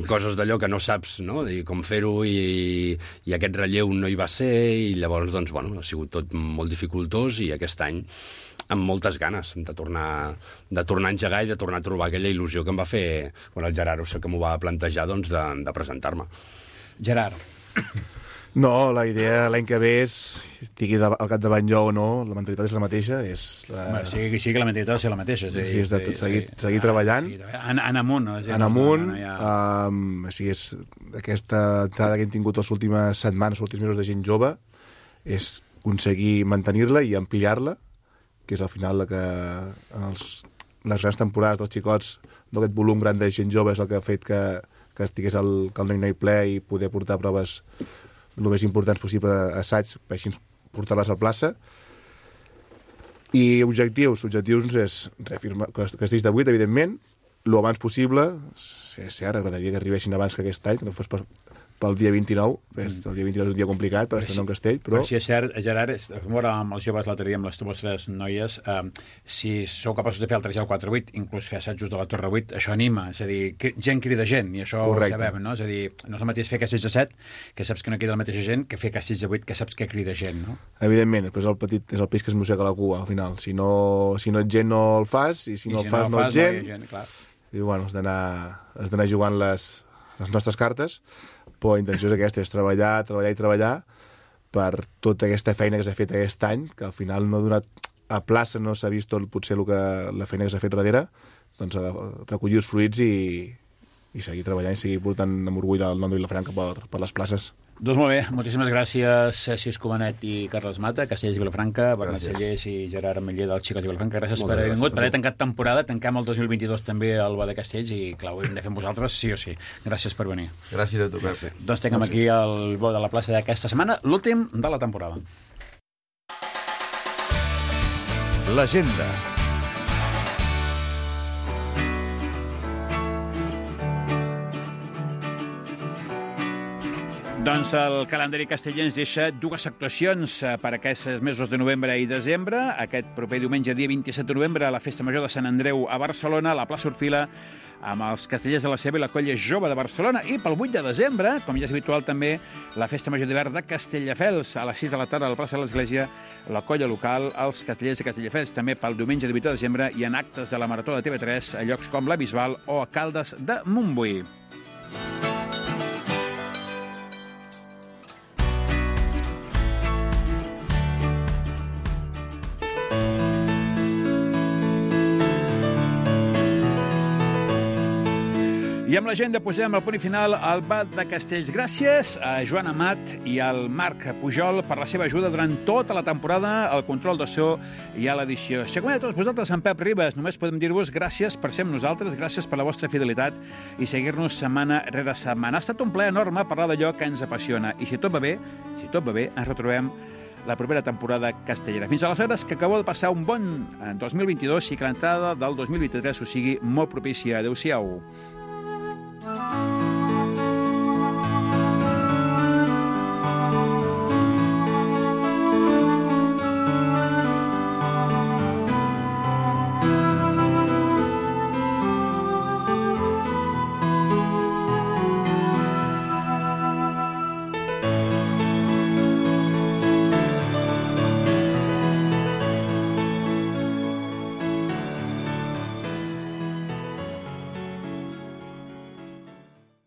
coses d'allò que no saps, no?, de com fer-ho i, i aquest relleu no hi va ser i llavors, doncs, bueno, ha sigut tot molt dificultós i aquest any amb moltes ganes de tornar, de tornar a engegar i de tornar a trobar aquella il·lusió que em va fer quan el Gerard, o sigui, que m'ho va plantejar, doncs, de, de presentar-me. Gerard. No, la idea l'any que ve és, estigui al capdavant jo o no, la mentalitat és la mateixa. És la... Home, sí, sí que la mentalitat és la mateixa. Sí, sí és de seguir, sí. seguir treballant. En, en amunt. No? En amunt. No, no ha... um, o sigui, és aquesta entrada que hem tingut les últimes setmanes, els últims mesos de gent jove, és aconseguir mantenir-la i ampliar-la, que és al final la que en els, les grans temporades dels xicots, d'aquest volum gran de gent jove és el que ha fet que, que estigués el, que el noi-noi ple i poder portar proves el més importants possible a assaig, per així portar-les a plaça. I objectius, objectius és reafirmar, castells de vuit, evidentment, el abans possible, és cert, agradaria que arribessin abans que aquest any, que no fos per, pel dia vint-i-nou, mm. el dia vint-i-nou és un dia complicat per estrenar un castell, però... Però si és cert, Gerard, vam veure amb els joves l'altre dia, amb les vostres noies, eh, si sou capaços de fer el tres i el quatre vuit, inclús fer assajos de la Torre vuit, això anima, és a dir, gent crida gent, i això Correcte. ho sabem, no? És a dir, no és el mateix fer castells de set, que saps que no crida la mateixa gent, que fer castells de vuit, que saps que crida gent, no? Evidentment, després el petit és el peix que es mossega la cua, al final. Si no, si no ets gent, no el fas, i si no I el si fas, no, el fas, no ets gent. No gent clar. I, bueno, has d'anar jugant les, les nostres cartes, però la intenció és aquesta, és treballar, treballar i treballar per tota aquesta feina que s'ha fet aquest any, que al final no ha donat a plaça, no s'ha vist tot potser el que, la feina que s'ha fet darrere, doncs recollir els fruits i, i seguir treballant i seguir portant amb orgull el nom de Vilafranca per, per les places. Doncs molt bé, moltíssimes gràcies Cis Comanet i Carles Mata, Castellers i Vilafranca, Bernat Cellers i Gerard Ametller dels Xicots i Vilafranca. Gràcies Moltes per haver vingut, per haver tancat temporada. Tanquem el dos mil vint-i-dos també al Bo de Castells i, clar, ho hem de fer amb vosaltres, sí o sí. Gràcies per venir. Gràcies a tu, Pep. Doncs tanquem aquí el Bo de la plaça d'aquesta setmana, l'últim de la temporada. L'agenda. Doncs el calendari casteller ens deixa dues actuacions per aquests mesos de novembre i desembre. Aquest proper diumenge, dia vint-i-set de novembre, a la Festa Major de Sant Andreu a Barcelona, a la plaça Orfila, amb els castellers de la Ceba i la Colla Jove de Barcelona. I pel vuit de desembre, com ja és habitual també, la Festa Major d'hivern de Castelldefels, a les sis de la tarda a la plaça de l'Església, la colla local, els castellers de Castelldefels. També pel diumenge divuit de desembre hi ha actes de la Marató de T V tres a llocs com la Bisbal o a Caldes de Montbui. I amb l'agenda posem al punt final al Bat de Castells. Gràcies a Joan Amat i al Marc Pujol per la seva ajuda durant tota la temporada, al control de so i a l'edició. Si com a tots vosaltres, en Pep Ribes, només podem dir-vos gràcies per ser amb nosaltres, gràcies per la vostra fidelitat i seguir-nos setmana rere setmana. Ha estat un plaer enorme parlar d'allò que ens apassiona. I si tot va bé, si tot va bé, ens retrobem la propera temporada castellera. Fins aleshores, que acabeu de passar un bon dos mil vint-i-dos i que l'entrada del dos mil vint-i-tres us sigui molt propícia. Adéu-siau.